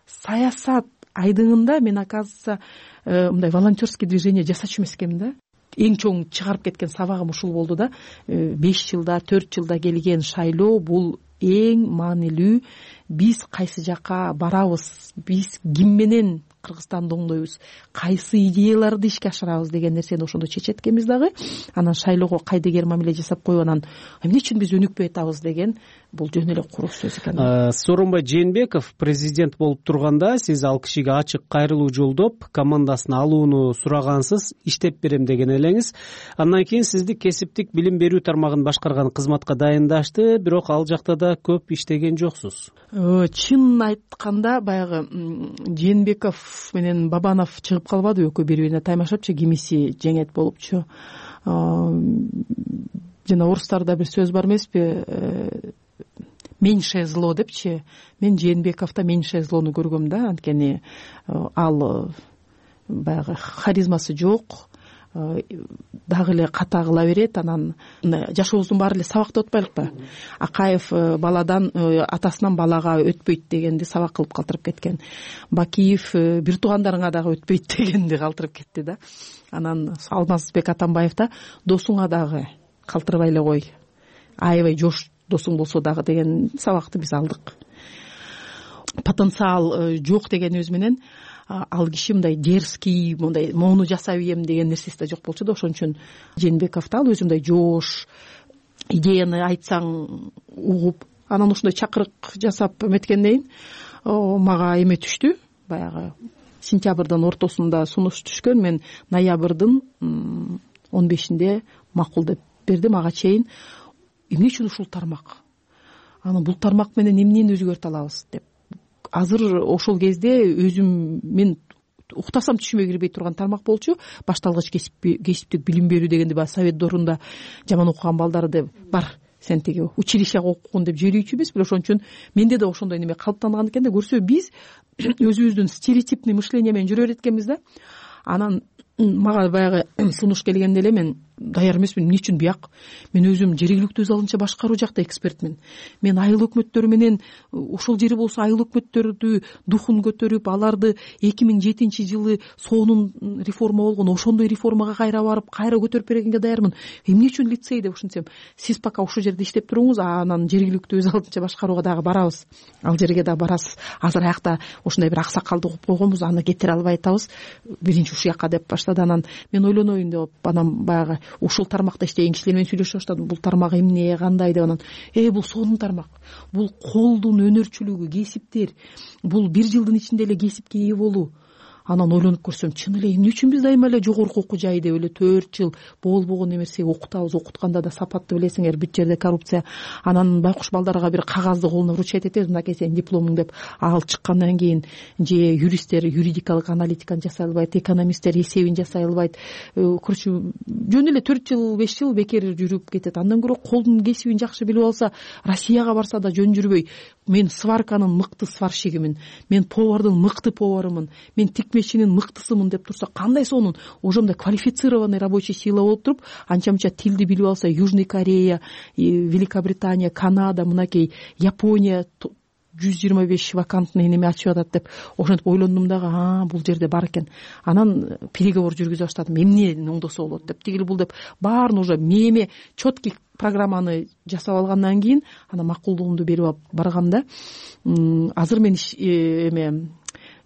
саясат айдыңында мен оказывается мындай волонтерский движение жасачу эмес экенмин да. Эң чоң чыгарып кеткен сабагым ушул болду да. беш жылда төрт жылда келген шайлоо бул эң маанилүү. Биз кайсы жака барабыз, биз ким менен Кыргызстанды оңдойбуз, кайсы идеяларды ишке ашырабыз деген нерсени ошондо чечет экенбиз дагы. Анан шайлоого кайдыгер мамиле жасап коюп анан эмне үчүн биз өнүкпөй атабыз деген бул жөн эле куру сөз экен. Сооронбай Жээнбеков президент болуп турганда сиз ал кишиге ачык кайрылуу жолдоп, командасын алууну сурагансыз, иштеп берем деген элеңиз. Андан кийин сизди кесиптик билим берүү тармагын башкарган кызматка дайындашты, бирок ал жакта да көп иштеген жоксуз. Чын айтканда баягы Жээнбеков менен Бабанов чыгып калбады экөө бири бирине таймашапчы, кимиси жеңет болупчу. Жана орустарда бир сөз бар эмеспи, меньшее зло депчи. Мен Жээнбековдо меньшее злону көргөм да, анткени ал баягы харизмасы жок, дагы эле ката кыла берет. Анан жашообуздун баары эле сабакта отпайлыкпы? Акаев баладан атасынан балага өтпөйт дегенди сабак кылып калтырып кеткен. Бакиев бир туугандарыңа дагы өтпөйт дегенди калтырып кетти да. Анан Алмазбек Атамбаев да досуңа дагы калтырбай эле кой, аябай жош досуң болсо дагы деген сабакты биз алдык. Потенциал жок дегенибиз менен ал киши мындай дерзкий, мындай моуну жасай берем деген нерсеси да жок болчу да. Ошон үчүн Жээнбеков да ал өзү мындай жош, идеяны айтсаң угуп, анан ушундай чакырык жасап эметкенден кийин мага эме түштү. Баягы сентябрдын ортосунда сунуш түшкөн. Мен ноябрдын он бешинде макул деп бердим. Ага чейин эмне үчүн ушул тармак, анан бул тармак менен эмнени өзгөртө алабыз деп. Азыр ошол кезде өзүм мен уктасам түшүмө кирбей турган тармак болчу. Башталгыч кесиптик билим берүү дегенди баягы совет дорунда жаман окуган балдарды бар, сен тиги училищага окугун деп жөрүүчү эмеспи. Ошон үчүн менде да ошондой неме калыптанган экен да. Көрсө биз өзүбүздүн стереотипный мышление менен жүрө берет экенбиз да. Анан мага баягы сунуш келгенде эле мен даяр эмесмин. Эмне үчүн бияк? Мен өзүм жергиликтүү өз алынча башкаруу жакта экспертмин. Мен айыл өкмөттөрү менен ошол жери болсо айыл өкмөттөрдү духун көтөрүп, аларды эки миң жетинчи жылы сонун реформа болгон ошондой реформага кайра барып, кайра көтөрүп бергенге даярмын. Эмне үчүн лицей деп ушинтсем, сиз пока ушул жерде иштеп туруңуз, анан жергиликтүү өз алынча башкарууга дагы барабыз. Ал жерге дагы барасыз. Азыр аякта ушундай бир аксакалды угуп койгонбуз, аны кетире албай атабыз. Биринчи ушул жака деп баштады. Анан мен ойлоноюн деп, анан баягы ушул тармакта иштеген кишилер менен сүйлөшүп баштадым. Бул тармак эмне, кандай деп. Анан э бул сонун тармак. Бул колдун өнөрчүлүгү, кесиптер. Бул бир жылдын ичинде эле кесипке ээ болуу. Анан ойлонуп көрсөм, чын эле эмне үчүн биз дайыма эле жогорку окуу жай деп эле төрт жыл болбогон нерсе окутабыз, окутканда да сапаттуу билесиңер, бүт жерде коррупция. Анан байкуш балдарга бир кагазды колуна вручать этебиз, мынакей сенин дипломуң деп. Ал чыккандан кийин же юристтер юридикалык аналитиканы жасай албайт, экономисттер эсебин жасай албайт. Короче, жөн эле төрт жыл беш жыл бекер жүрүп кетет. Андан көрө колдун кесибин жакшы билип алса, Россияга барса да жөн жүрбөй. Мен сварканын мыкты сварщигимин, мен повардын мыкты поварымын, мен тикмечинин мыктысымын деп турса, кандай сонун ошондой квалифицированный рабочий сила болуп туруп, анча-мынча тилди билип алса, Южный Корея, Великобритания, Канада, мынакей Япония жүз жыйырма беш вакантный неме ачып атат деп ошентип ойлондум дагы, а бул жерде бар экен. Анан переговор жүргүзө баштадым, эмне оңдосо болот деп. Тигил бул деп баарын уже меме четкий программаны жасап алгандан кийин анан макулдугумду берип алып барганда, азыр мен эме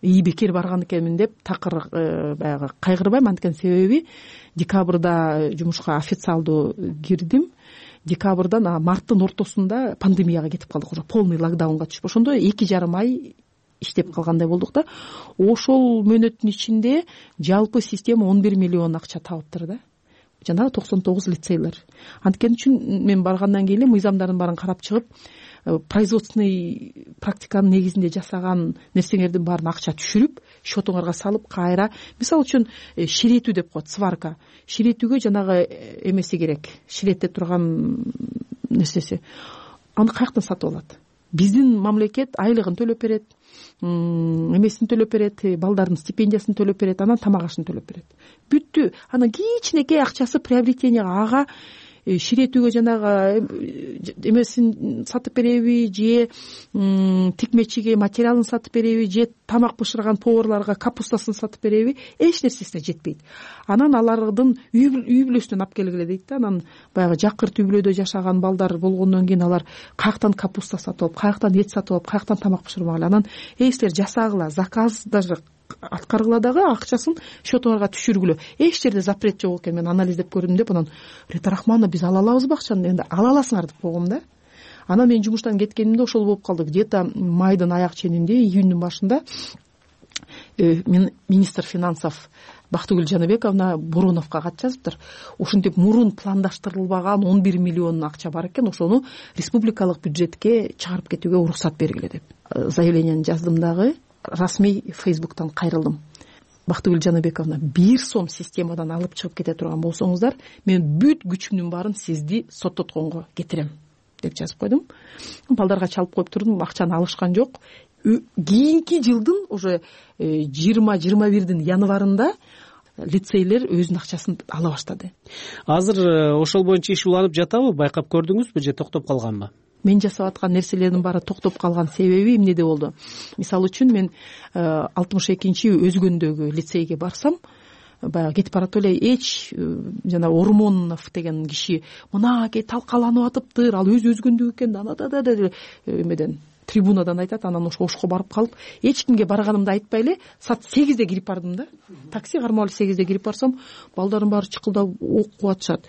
ии бекер барган экенмин деп такыр баягы кайгырбайм. Анткени себеби декабрда жумушка официалдуу кирдим. Декабрдан марттын ортосунда пандемияга кетип калдык, уже полный локдаунга түшүп. Ошондо эки жарым ай иштеп калгандай болдук да. Ошол мөөнөттүн ичинде жалпы система он бир миллион акча табыптыр да. Жанагы токсон тогуз лицейлер. Анткени үчүн мен баргандан кийин эле мыйзамдардын баарын карап чыгып, производственный практиканын негизинде жасаган нерсеңердин баарын акча түшүрүп, счетуңарга салып, кайра, мисалы үчүн ширетүү деп коет, сварка. Ширетүүгө жанагы эмеси керек, ширетте турган нерсеси. Аны каяктан сатып алат? Биздин мамлекет айлыгын төлөп берет, эмесин төлөп берет, балдардын стипендиясын төлөп берет, анан тамак ашын төлөп берет. Бүттү. Анан кичинекей акчасы приобретенияга, ага ширетүүгө жанагы эмесин сатып береби же тикмечиге материалын сатып береби же тамак бышырган поварларга капустасын сатып береби, эч нерсесине жетпейт. Анан алардын үй бүлөсүнөн алып келгиле дейт да. Анан баягы жакырт үй бүлөдө жашаган балдар болгондон кийин алар каяктан капуста сатып алып, каяктан эт сатып алып, каяктан тамак бышырмак эле. Анан эй силер жасагыла, заказ даже аткаргыла дагы акчасын счетуңарга түшүргүлө. Эч жерде запрет жок экен. Мен анализдеп көрдүм деп, анан Рита Рахмановна биз ала алабызбы акчаны? Энди ала аласыңар деп койгом да. Анан мен жумуштан кеткенимде ошол болуп калды. Где-то майдын аяк ченинде, июньдун башында мен министр финансов Бактыгүл Жаныбековна Буруновго кат жазыптыр. Ушинтип мурун пландаштырылбаган он бир миллион акча бар экен, ошону республикалык бюджетке чыгарып кетүүгө уруксат бергиле деп заявлениени жаздым дагы. Расмий Фейсбуктан кайрылдым. Бактыгүл Жаныбековна, бир сом системадан алып чыгып кете турган болсоңуздар, мен бүт күчүмдүн баарын сизди соттотконго кетирем деп жазып койдум. Балдарга чалып коюп турдум, акчаны алышкан жок. Кийинки жылдын уже жыйырма жыйырма бирдин январында лицейлер өзүнүн акчасын ала баштады. Азыр ошол боюнча иш уланып жатабы? Байкап көрдүңүзбү же токтоп калганбы? Мен жасап аткан нерселердин баары токтоп калган себеби эмнеде болду? Мисалы үчүн мен алтымыш экинчи өзгөндөгү лицейге барсам, баягы кетип барат эле эч жана Ормонов деген киши мынакей талкаланып атыптыр, ал өзү өзгөндүк экен да да эмеден трибунадан айтат. Анан ошо ошко барып калып, эч кимге барганымды айтпай эле саат сегизде кирип бардым да. Такси кармап эле сегизде кирип барсам, балдардын баары чыкылдап окуп атышат.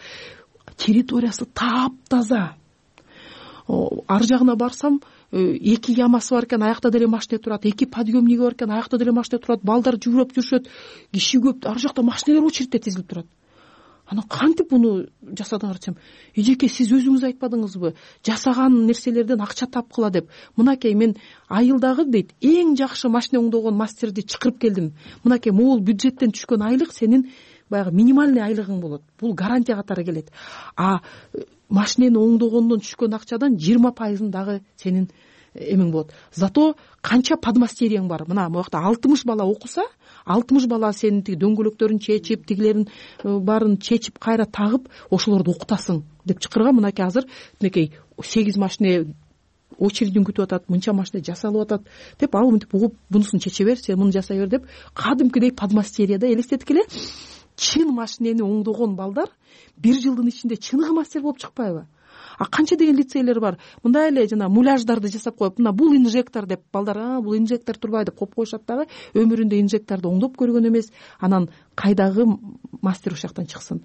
Территориясы таптаза. Ар жагына барсам, эки ямасы бар экен, аякта деле машина турат, эки подъемниги бар экен, аякта деле машина турат, балдар жүгүрүп жүрүшөт, киши көп, ар жакта машиналар очередте тизилип турат. Анан кантип муну жасадыңар десем, эжеке сиз өзүңүз айтпадыңызбы, жасаган нерселерден акча тапкыла деп. Мынакей мен айылдагы дейт, эң жакшы машина оңдогон мастерди чакырып келдим. Мынакей могул бюджеттен түшкөн айлык сенин баягы минимальный айлыгың болот. Бул гарантия катары келет. А машинени оңдогондон түшкөн акчадан жыйырма пайызын дагы сенин эмең болот. Зато канча подмастерияң бар. Мына могакта алтымыш бала окуса, алтымыш бала сенин тиги дөңгөлөктөрүн чечип, тигилерин баарын чечип, кайра тагып, ошолорду окутасың деп чакырган. Мынакей азыр мынакей сегиз машина очередин күтүп атат, мынча машина жасалып атат деп, ал мынтип угуп, бунусун чече бер, сен муну жасай бер деп, кадимкидей подмастерияда элестеттик эле. Чын машинени оңдогон балдар бир жылдын ичинде чыныгы мастер болуп чыкпайбы? А канча деген лицейлер бар. Мындай эле жана муляждарды жасап коюп, мына бул инжектор деп балдар, а бул инжектор турбайт деп коюп коюшат дагы. Өмүрүндө инжекторду оңдоп көргөн эмес. Анан кайдагы мастер ошол жактан чыксын?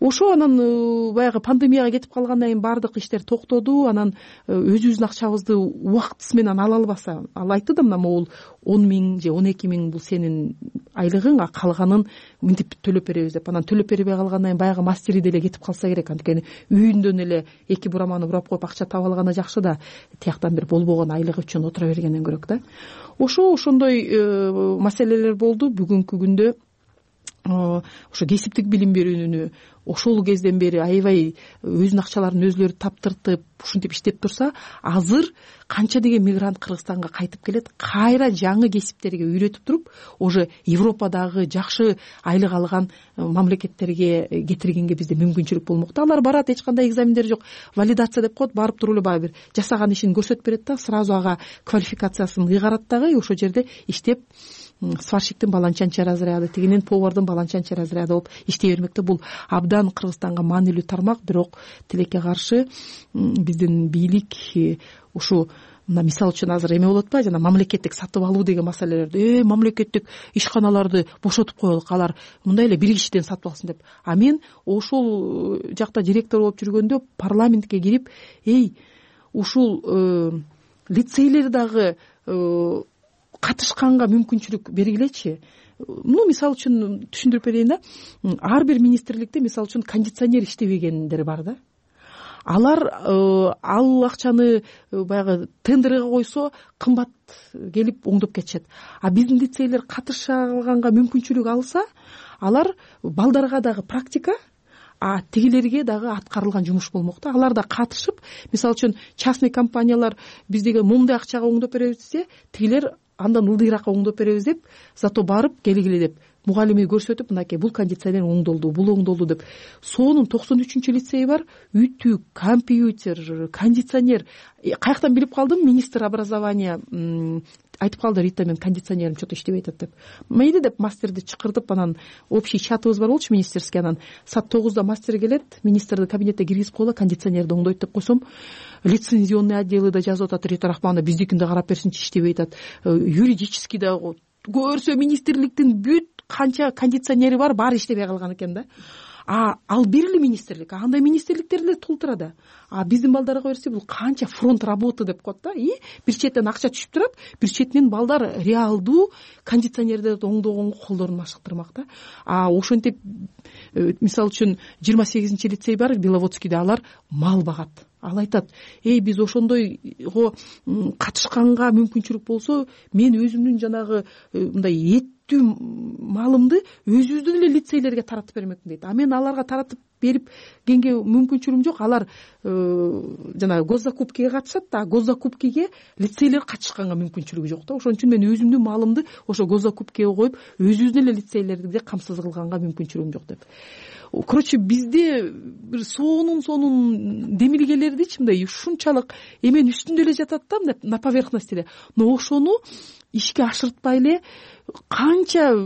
Ошо анан баягы пандемияга кетип калгандан кийин баардык иштер токтоду. Анан өзүбүздүн акчабызды убактысы менен ала албаса, ал айтты да, мына могул он миң же он эки миң бул сенин айлыгың, а калганын мынтип төлөп беребиз деп. Анан төлөп бербей калгандан кийин баягы мастери деле кетип калса керек. Анткени үйүндөн эле эки бураманы бурап коюп акча таба алганы жакшы да, тияктан бир болбогон айлык үчүн отура бергенден көрөк да. Ошо ошондой маселелер болду. Бүгүнкү күндө ошо кесиптик билим берүүнү ошол кезден бери аябай өзүнүн акчаларын өзүлөрү таптыртып ушинтип иштеп турса, азыр канча деген мигрант Кыргызстанга кайтып келет, кайра жаңы кесиптерге үйрөтүп туруп, уже Европадагы жакшы айлык алган мамлекеттерге кетиргенге бизде мүмкүнчүлүк болмокта. Алар барат, эч кандай экзамендер жок, валидация деп коет, барып туруп эле баягы бир жасаган ишин көрсөтүп берет да, сразу ага квалификациясын ыйгарат дагы, ошол жерде иштеп сварщиктин баланчанчы разряды, тигинин повардын баланчанчы разряды болуп иштей бермекте. Бул абдан Кыргызстанга маанилүү тармак, бирок тилекке каршы биздин бийлик ушу мына мисалы үчүн азыр эме болот атпайбы, жана мамлекеттик сатып алуу деген маселелерди, э мамлекеттик ишканаларды бошотуп коелук, алар мындай эле бир кишиден сатып алсын деп. А мен ошол жакта директор болуп жүргөндө парламентке кирип, эй ушул лицейлер дагы катышканга мүмкүнчүлүк бергилечи. Ну, мисалы үчүн түшүндүрүп берейин да. Ар бир министрликте мисалы үчүн кондиционер иштебегендер бар да. Алар ал акчаны баягы тендерге койсо кымбат келип оңдоп кетишет. А биздин лицейлер катыша алганга мүмкүнчүлүк алса, алар балдарга дагы практика, а тигилерге дагы аткарылган жумуш болмокта. Алар да катышып, мисалы үчүн частный компаниялар биздеги момундай акчага оңдоп беребиз десе, тигилер андан ылдыйраак оңдоп беребиз деп, зато барып келгиле деп мугалими көрсөтүп, мынакей бул кондиционер оңдолду, бул оңдолду деп. Соонун токсон үчүнчү лицеи бар, үтүк, компьютер, кондиционер. Каяктан билип калдым? Министр образования айтып калды, Рита, мен кондиционерим что-то иштебей атат деп. Мейли деп мастерди чакыртып, анан общий чатыбыз бар болчу министерский, анан саат тогузда мастер келет, министрди кабинетке киргизип коела, кондиционерди оңдойт деп койсом, лицензионный отделы да жазып атат, Рита Рахмановна биздикин да карап берсинчи, иштебей атат. Юридический да көрсө министрликтин бүт канча кондиционери бар, баары иштебей калган экен да. А ал бир эле министрлик, андай министрликтер эле толтурат. А биздин балдарга берсе бул канча фронт работы деп коет да. И бир четтен акча түшүп турат, бир четтен балдар реалдуу кондиционерди оңдогонго колдорун машыктырмак да. А ошентип, мисалы үчүн жыйырма сегизинчи лицей бар Беловодскийде, алар мал багат. Ал айтат, эй, биз ошондойго катышканга мүмкүнчүлүк болсо, мен өзүмдүн жанагы мындай эттүү малымды өзүбүздүн эле лицейлерге таратып бермекмин дейт. А мен аларга таратып берип кенге мүмкүнчүлүгүм жок. Алар жанагы госзакупкиге катышат да, госзакупкиге лицейлер катышканга мүмкүнчүлүгү жок да. Ошон үчүн мен өзүмдүн малымды ошо госзакупкиге коюп, өзүбүздүн эле лицейлерге камсыз кылганга мүмкүнчүлүгүм жок деп. Короче, бизде бир сонун сонун демилгелердичи мындай ушунчалык эменин үстүндө эле жатат да, мындай на поверхности эле. Но ошону ишке ашыртпай эле канча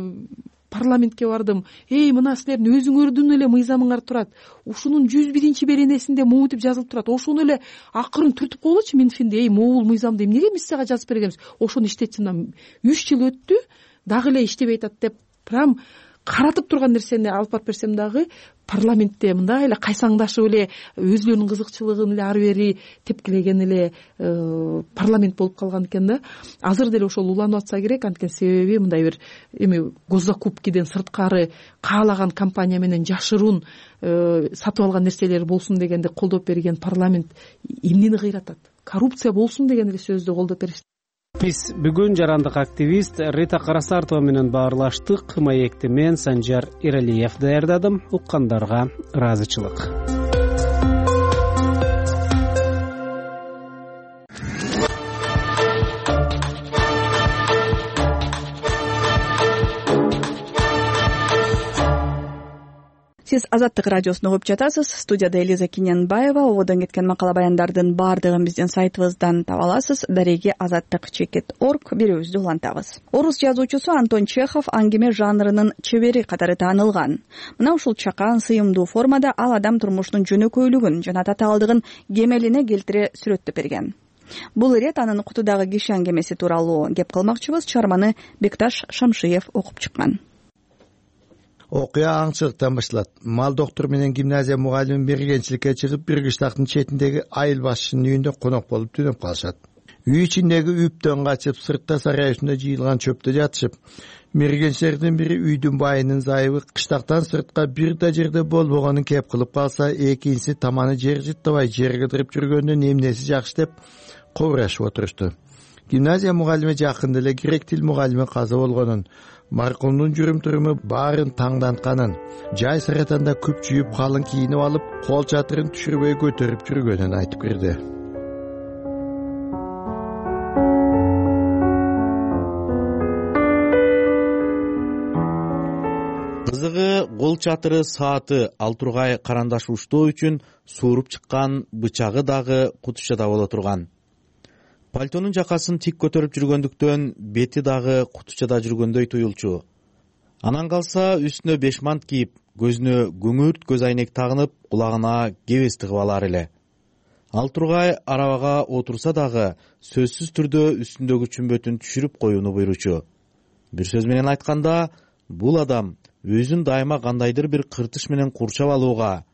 парламентке бардым. Эй, мына силердин өзүңөрдүн эле мыйзамыңар турат. Ушунун жүз биринчи беренесинде могутип жазылып турат. Ошону эле акырын түртүп коелучу Минфинде. Эй, могул мыйзамды эмнеге биз сага жазып бергенбиз? Ошону иштетсин. үч жыл өттү, дагы эле иштебей атат деп прям каратып турган нерсени алып барып берсем дагы парламентте мындай эле кайсаңдашып эле өзүлөрүнүн кызыкчылыгын эле ары бери тепкилеген эле парламент болуп калган экен да. Азыр деле ошол уланып атса керек, анткени себеби мындай бир эми госзакупкиден сырткары каалаган компания менен жашыруун сатып алган нерселер болсун дегенди колдоп берген парламент эмнени кыйратат? Коррупция болсун деген эле сөздү колдоп беришти. Биз бүгүн жарандык активист Рита Карасартова менен баарлаштык. Маекти мен Санжар Иралиев даярдадым. Уккандарга ыраазычылык. Сиз Азаттык радиосун угуп жатасыз. Студияда Элиза Киненбаева. Ободон кеткен макала баяндардын баардыгын биздин сайтыбыздан таба аласыз. Дареги азаттык чекит орг берүүбүздү улантабыз. Орус жазуучусу Антон Чехов аңгеме жанрынын чебери катары таанылган. Мына ушул чакан, сыйымдуу формада ал адам турмушунун жөнөкөйлүгүн жана татаалдыгын кемелине келтире сүрөттөп берген. Бул ирет анын кутудагы киши аңгемеси тууралуу кеп кылмакчыбыз. Чыгарманы Бекташ Шамшиев окуп чыккан. Окуя аңчылыктан башталат. Мал доктор менен гимназия мугалими мергенчиликке чыгып, бир кыштактын четиндеги айыл башчынын үйүндө конок болуп түнөп калышат. Үй ичиндеги үптөн качып, сыртта сарай үстүндө жыйылган чөптө жатышып, мергенчилердин бири үйдүн байынын зайыбы кыштактан сыртка бир да жерде болбогонун кеп кылып калса, экинчиси таманы жер жыттабай жер кыдырып жүргөндө эмнеси жакшы деп кобурашып отурушту. Гимназия мугалими жакында эле грек тил мугалими каза болгонун, маркумдун жүрүм туруму баарын таңдантканын, жай саратанда күп жүйүп калың кийинип алып, кол чатырын түшүрбөй көтөрүп жүргөнүн айтып кирди. Кызыгы, кол чатыры, сааты ал тургай карандаш уштоо үчүн сууруп чыккан, бычагы дагы кутушчада боло турган. Пальтонун жакасын тик көтөрүп жүргөндүктөн бети дагы кутучада жүргөндөй туюлчу. Анан калса үстүнө беш мант кийип, көзүнө күңүрт көз айнек тагынып, кулагына кебес тыгып алар эле. Ал тургай арабага отурса дагы сөзсүз түрдө үстүндөгү чүмбөтүн түшүрүп коюуну буйручу. Бир сөз менен айтканда, бул адам өзүн дайыма кандайдыр бир кыртыш менен курчап алууга,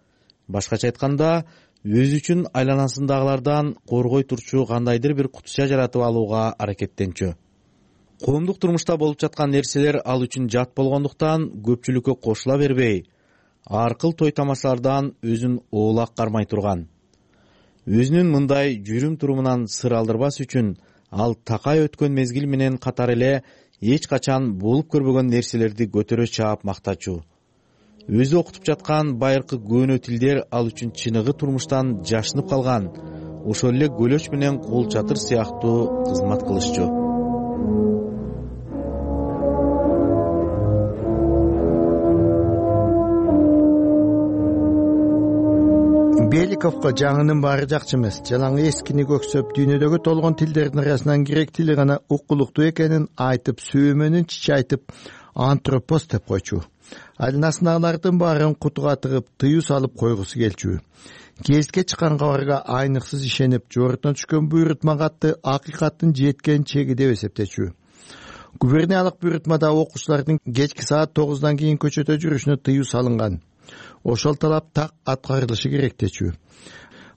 башкача айтканда, өзү үчүн айланасындагылардан коргой турчу кандайдыр бир кутуча жаратып алууга аракеттенчү. Коомдук турмушта болуп жаткан нерселер ал үчүн жат болгондуктан көпчүлүккө кошула бербей, аркыл той тамашалардан өзүн оолак кармай турган. Өзүнүн мындай жүрүм турумунан сыр алдырбас үчүн ал такай өткөн мезгил менен катар эле эч качан болуп көрбөгөн нерселерди көтөрө чаап мактачу. Өзү окутуп жаткан байыркы көөнө тилдер ал үчүн чыныгы турмуштан жашынып калган, ошол эле көлөч менен кол чатыр сыяктуу кызмат кылышчу. Беликовго жаңынын баары жакчы эмес. Жалаң эскини көксөп, дүйнөдөгү толгон тилдердин арасынан грек тили гана укулуктуу экенин айтып, сүйөмөнүн чичи айтып, антропос деп койчу. Алынасындагылардын баарын кутуга тыгып, тыюу салып койгусу келчү. Гезитке чыккан кабарга айныксыз ишенип, жордон түшкөн буйрутма катты акыйкаттын жеткен чеги деп эсептечү. Губерниялык буйрутмада окуучулардын кечки саат тогуздан кийин көчөдө жүрүшүнө тыюу салынган. Ошол талап так аткарылышы керек дечү.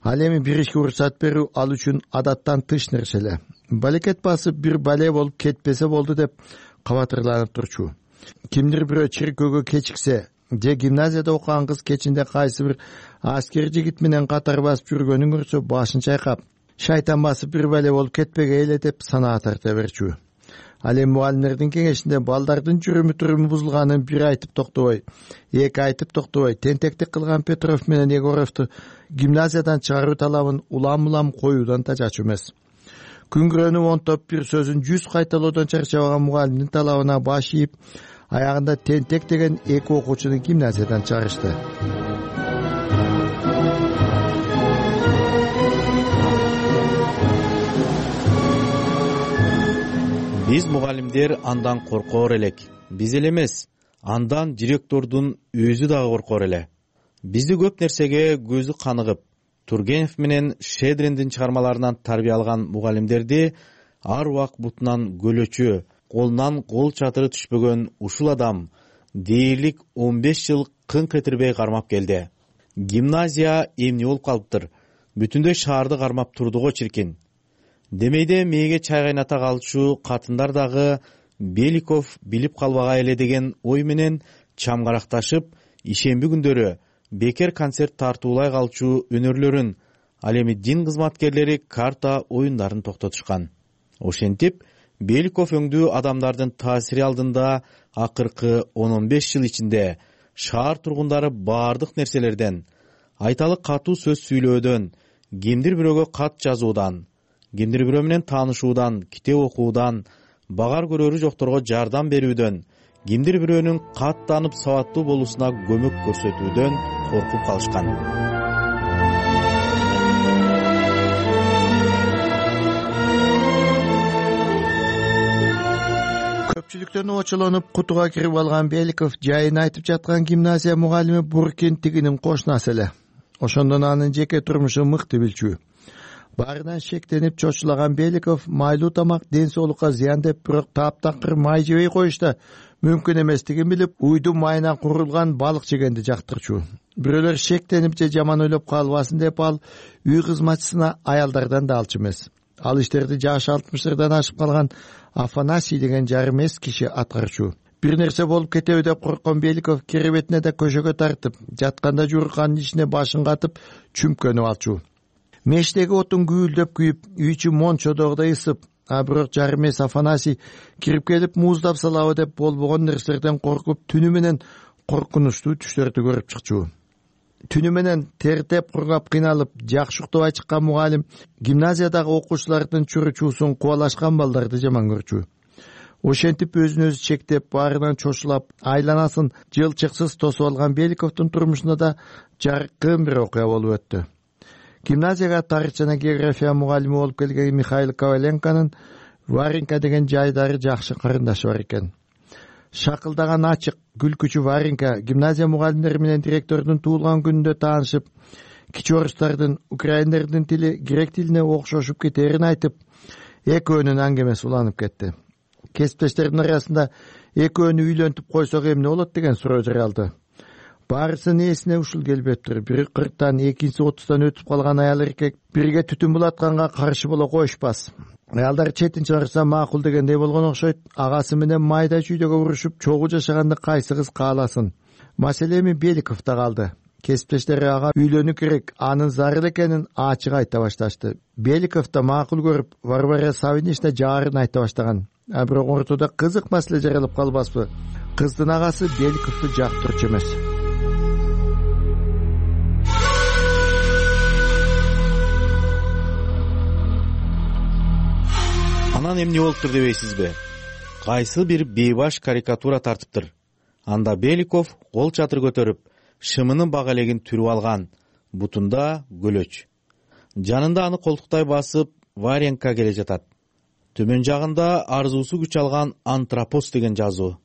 Ал эми бир ишке уруксат берүү ал үчүн адаттан тыш нерсе эле. Балекет басып бир бале болуп кетпесе болду деп кабатырланып турчу. Кимдир бирөө чиркөөгө кечиксе, же гимназияда окуган кыз кечинде кайсы бир аскер жигит менен катар басып жүргөнүн көрсө башын чайкап, шайтан басып бир бале болуп кетпегей эле деп санаа тарта берчү. Ал эми мугалимдердин кеңешинде балдардын жүрүмү туруму бузулганын бир айтып токтобой, эки айтып токтобой, тентектик кылган Петров менен Егоровду гимназиядан чыгаруу талабын улам-улам коюудан тажачу эмес. Күнгүрөнүп онтоп бир сөзүн жүз кайталоодон чарчабаган мугалимдин талабына баш ийип, аягында тентек деген эки окуучуну гимназиядан чыгарышты. Биз мугалимдер андан коркоор элек. Биз эле эмес, андан директордун өзү дагы коркоор эле. Бизди көп нерсеге көзү каныгып, Тургенев менен Шедриндин чыгармаларынан тарбия алган мугалимдерди ар убак бутунан көлөчү, колунан кол чатыры түшпөгөн ушул адам дээрлик он беш жыл кын кетирбей кармап келди. Гимназия эмне болуп калыптыр? Бүтүндөй шаарды кармап турду го чиркин. Демейде мээге чай кайната калчу катындар дагы Беликов билип калбагай эле деген ой менен чамгаракташып, ишемби күндөрү бекер концерт тартуулай калчу өнөрлөрүн, ал эми дин кызматкерлери карта оюндарын токтотушкан. Ошентип, Беликов өңдүү адамдардын таасири алдында акыркы он он беш жыл ичинде шаар тургундары баардык нерселерден, айталы катуу сөз сүйлөөдөн, кимдир бирөөгө кат жазуудан, кимдир бирөө менен таанышуудан, китеп окуудан, багар көрөрү жокторго жардам берүүдөн, кимдир бирөөнүн каттанып сабаттуу болуусуна көмөк көрсөтүүдөн коркуп калышкан. Көпчүлүктөн очолонуп кутуга кирип алган Беликов жайын айтып жаткан гимназия мугалими Буркин тигинин кошунасы эле. Ошондон анын жеке турмушу мыкты билчү. Баарынан шектенип чочулаган Беликов майлуу тамак ден соолукка зыян деп, бирок таптакыр май жебей коюшта мүмкүн эместигин билип, уйду майынан курулган балык жегенди жактырчу. Бирөөлөр шектенип же жаман ойлоп калбасын деп, ал үй кызматчысына аялдардан да алчу эмес. Ал иштерди жашы алтымыштардан ашып калган Афанасий деген жарым эс киши аткарчу. Бир нерсе болуп кетеби деп корккон Беликов керебетине да көшөгө тартып, жатканда жуурканын ичине башын катып чүмкөнүп алчу. Мештеги отун күйүлдөп күйүп, үй ичи мончодогудай ысып, а бирок жарым эс Афанасий кирип келип мууздап салабы деп болбогон нерселерден коркуп, түнү менен коркунучтуу түштөрдү көрүп чыкчу. Түнү менен тертеп кургап кыйналып, жакшы уктабай чыккан мугалим гимназиядагы окуучулардын чуручуусун кубалашкан балдарды жаман көрчү. Ошентип өзүн өзү чектеп, баарынан чочулап, айланасын жылчыксыз тосуп алган Беликовдун турмушунда да жаркын бир окуя болуп өттү. Гимназияга тарых жана география мугалими болуп келген Михаил Коваленконун Варенька деген жайдары жакшы карындашы бар экен. Шакылдаган ачык, күлкүчү Варенька гимназия мугалимдери менен директордун туулган күнүндө таанышып, кичи орустардын, украиндердин тили грек тилине окшошуп кетерин айтып, экөөнүн аңгемеси уланып кетти. Кесиптештердин арасында экөөнү үйлөнтүп койсок эмне болот деген суроо жаралды. Баарысынын эсине ушул келбептир. Бири кырктан, экинчиси отуздан өтүп калган аял эркек бирге түтүн булатканга каршы боло коюшпас. Аялдар четин чыгарса макул дегендей болгон окшойт. Агасы менен майда чүйдөгө урушуп, чогуу жашаганды кайсы кыз кааласын. Маселе эми Беликовдо калды. Кесиптештери ага үйлөнүү керек, анын зарыл экенин ачык айта башташты. Беликов да макул көрүп, Варвара Савинична жаарын айта баштаган. А бирок ортодо кызык маселе жаралып калбаспы? Кыздын агасы Беликовду жактырчу эмес. Анан эмне болуптур дебейсизби? Кайсы бир бейбаш карикатура тартыптыр. Анда Беликов кол чатыр көтөрүп, шымынын бак элегин түрүп алган, бутунда көлөч. Жанында аны колтуктай басып Варенка келе жатат. Төмөн жагында арзуусу күч алган антропос деген жазуу.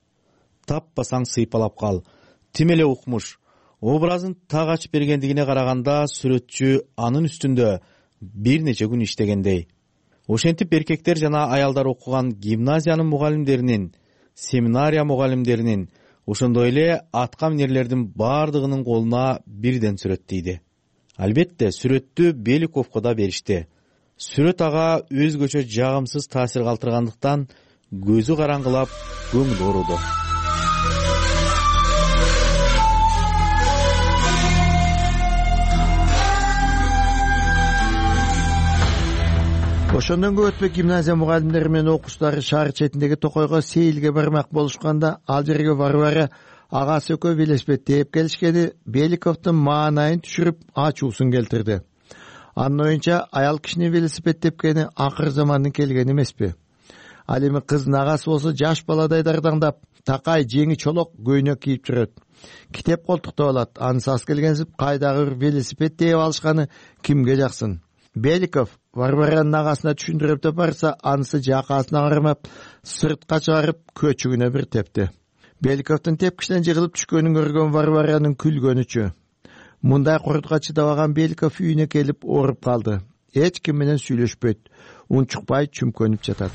Таппасаң сыйпалап кал. Тим эле укмуш. Образын так ачып бергендигине караганда сүрөтчү анын үстүндө бир нече күн иштегендей. Ошентип эркектер жана аялдар окуган гимназиянын мугалимдеринин, семинария мугалимдеринин, ошондой эле атка минерлердин бардыгынын колуна бирден сүрөт тийди. Албетте, сүрөттү Беликовго да беришти. Сүрөт ага өзгөчө жагымсыз таасир калтыргандыктан көзү караңгылап, көңүлү ооруду. Ошондон көп өтпөй гимназия мугалимдери менен окуучулары шаар четиндеги токойго сейилге бармак болушканда, ал жерге Варвара агасы экөө велосипед тээп келишкени Беликовдун маанайын түшүрүп ачуусун келтирди. Анын оюнча, аял кишинин велосипед тепкени акыр замандын келгени эмеспи. Ал эми кыздын агасы болсо жаш баладай дардаңдап, такай жеңи чолок көйнөк кийип жүрөт. Китеп колтуктап алат. Анысы ас келгенсип кайдагы бир велосипед тээп алышканы кимге жаксын. Беликов Варваранын агасына түшүндүрүп деп барса, анысы жакасына кармап, сыртка чыгарып көчүгүнө бир тепти. Беликовдун тепкичинен жыгылып түшкөнүн көргөн Варваранын күлгөнүчү. Мындай курдуга чыдабаган Беликов үйүнө келип ооруп калды. Эч ким менен сүйлөшпөйт, унчукпай чүмкөнүп жатат.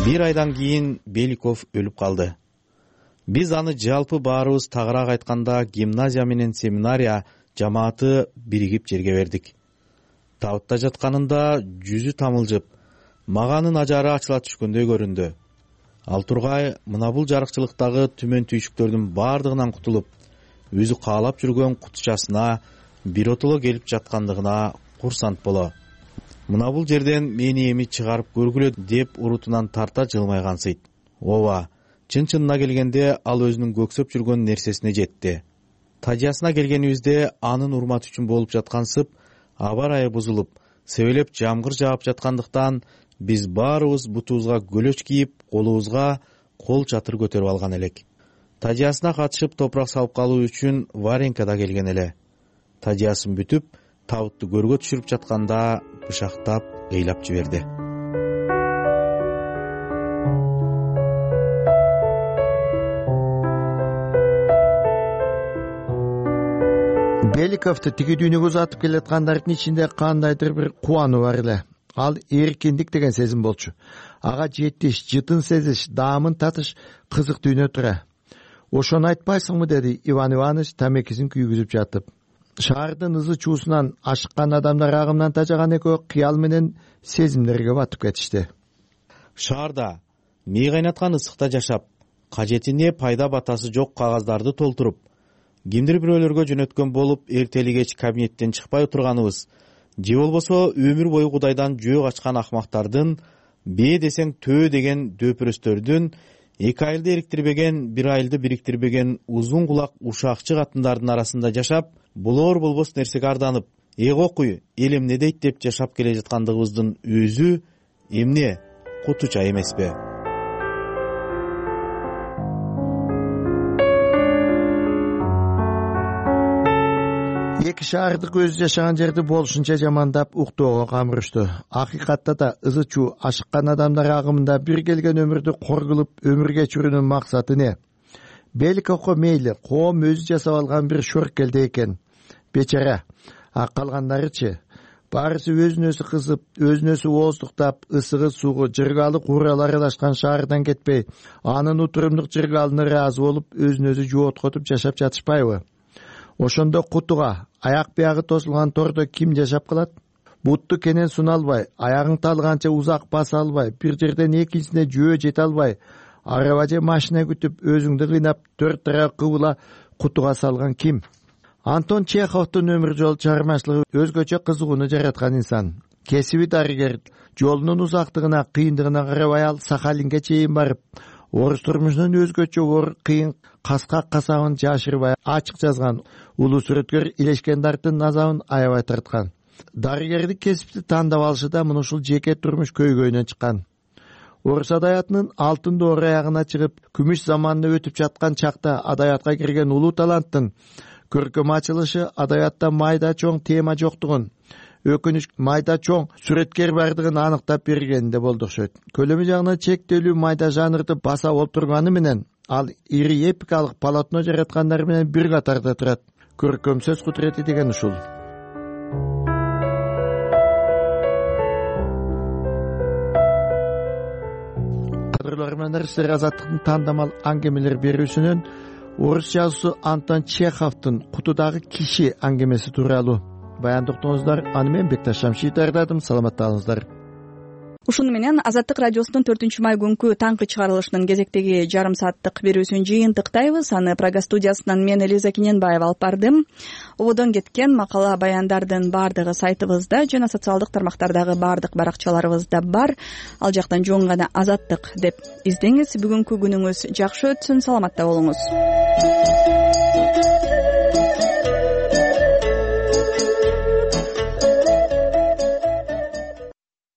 Бир айдан кийин Беликов өлүп калды. Биз аны жалпы баарыбыз тагыраак айтканда гимназия менен семинария жамааты биригип жерге бердик. Табытта жатканында жүзү тамылжып, маганын ажары ачыла түшкөндөй көрүндү. Ал тургай мына бул жарыкчылыктагы түмөн түйшүктөрдүн бардыгынан кутулуп, өзү каалап жүргөн кутучасына биротоло келип жаткандыгына курсант боло. Мына бул жерден мени эми чыгарып көргүлө деп урутунан тарта жылмайгансыйт. Ооба, чын-чынына келгенде ал өзүнүн көксөп жүргөн нерсесине жетти. Тажиясына келгенибизде анын урматы үчүн болуп жаткансып, аба ырайы бузулуп, себелеп жамгыр жаап жаткандыктан биз баарыбыз бутубузга көлөч кийип, колубузга кол чатыр көтөрүп алган элек. Тажиясына катышып топурак салып калуу үчүн Варенка да келген эле. Тажиясын бүтүп, табытты көргө түшүрүп жатканда бышактап ыйлап жиберди. Беликовду тиги дүйнөгө узатып келаткандардын ичинде кандайдыр бир кубануу бар эле. Ал эркиндик деген сезим болчу. Ага жетиш, жытын сезиш, даамын татыш кызык дүйнө тура. Ошону айтпайсыңбы, деди Иван Иванович тамекисин күйгүзүп жатып. Шаардын ызы чуусунан ашыккан адамдар агымынан тажаган экөө кыял менен сезимдерге батып кетишти. Шаарда мээ кайнаткан ысыкта жашап, кажетине пайда батасы жок кагаздарды толтуруп, кимдир бирөөлөргө жөнөткөн болуп, эртели кеч кабинеттен чыкпай отурганыбыз, же болбосо өмүр бою Кудайдан жөө качкан акмактардын, бээ десең төө деген дөпүрөстөрдүн, эки айылды эриктирбеген, бир айылды бириктирбеген узун кулак ушакчы катындардын арасында жашап, болор болбос нерсеге арданып, эго куй, эл эмне дейт деп жашап келе жаткандыгыбыздын өзү эмне кутуча эмеспи? Эки шаардык өзү жашаган жерди болушунча жамандап уктоого камырышту. Акыйкатта да ызы чуу ашыккан адамдар агымында бир келген өмүрдү кор кылып өмүр кечирүүнүн максаты не? Беликовго мейли, коом өзү жасап алган бир шөркелде экен. Бечара. А калгандарычы? Баарысы өзүнө-өзү кызып, өзүнө-өзү ооздуктап, ысыгы суугу, жыргалы кууралар аралашкан шаардан кетпей, анын утурумдук жыргалына ыраазы болуп, өзүнө-өзү жооткотуп жашап жатышпайбы? Ошондо кутуга, аяк биягы тосулган тордо ким жашап калат? Бутту кенен суна албай, аягың талганча узак баса албай, бир жерден экинчисине жөө жете албай, араба же машина күтүп, өзүңдү кыйнап, төрт тарап кыбыла кутуга салган ким? Антон Чеховдун өмүр жол чыгармачылыгы өзгөчө кызыгууну жараткан инсан. Кесиби дарыгер, жолунун узактыгына, кыйындыгына карабай ал Сахалинге чейин барып, орус турмушунун өзгөчө оор кыйын каскак касабын жашырбай ачык жазган. Улуу сүрөткөр Илешкендардын азабын аябай тарткан. Дарыгердик кесипти тандап алышы да мына ушул жеке турмуш көйгөйүнөн чыккан. Орус адаятынын алтын доор аягына чыгып, күмүш заманына өтүп жаткан чакта адаятка кирген улуу таланттын көркөм ачылышы адаятта майда чоң тема жоктугун, өкүнүч майда чоң сүрөткер бардыгын аныктап бергенде болду окшойт. Көлөмү жагынан чектелүү майда жанрды баса олтурганы менен ал ири эпикалык полотно жараткандар менен бир катарда турат. Көркөм сөз кудурети деген ушул. Кадырлар менен сиздер Азаттыктын тандамал аңгемелер берүүсүнөн орус жазуусу Антон Чеховдун Кутудагы киши аңгемеси тууралуу баяндыктыңыздар. Аны мен Бекташ Шамшиев даярдадым. Саламатталыңыздар. Ушуну менен Азаттык радиосунун төртүнчү май күнкү таңкы чыгарылышынын кезектеги жарым сааттык берүүсүн жыйынтыктайбыз. Аны Прага студиясынан мен Элиза Киненбаева алып бардым. Ободон кеткен макала баяндардын баардыгы сайтыбызда жана социалдык тармактардагы баардык баракчаларыбызда бар. Ал жактан жөн гана Азаттык деп издеңиз. Бүгүнкү күнүңүз жакшы өтсүн. Саламатта болуңуз.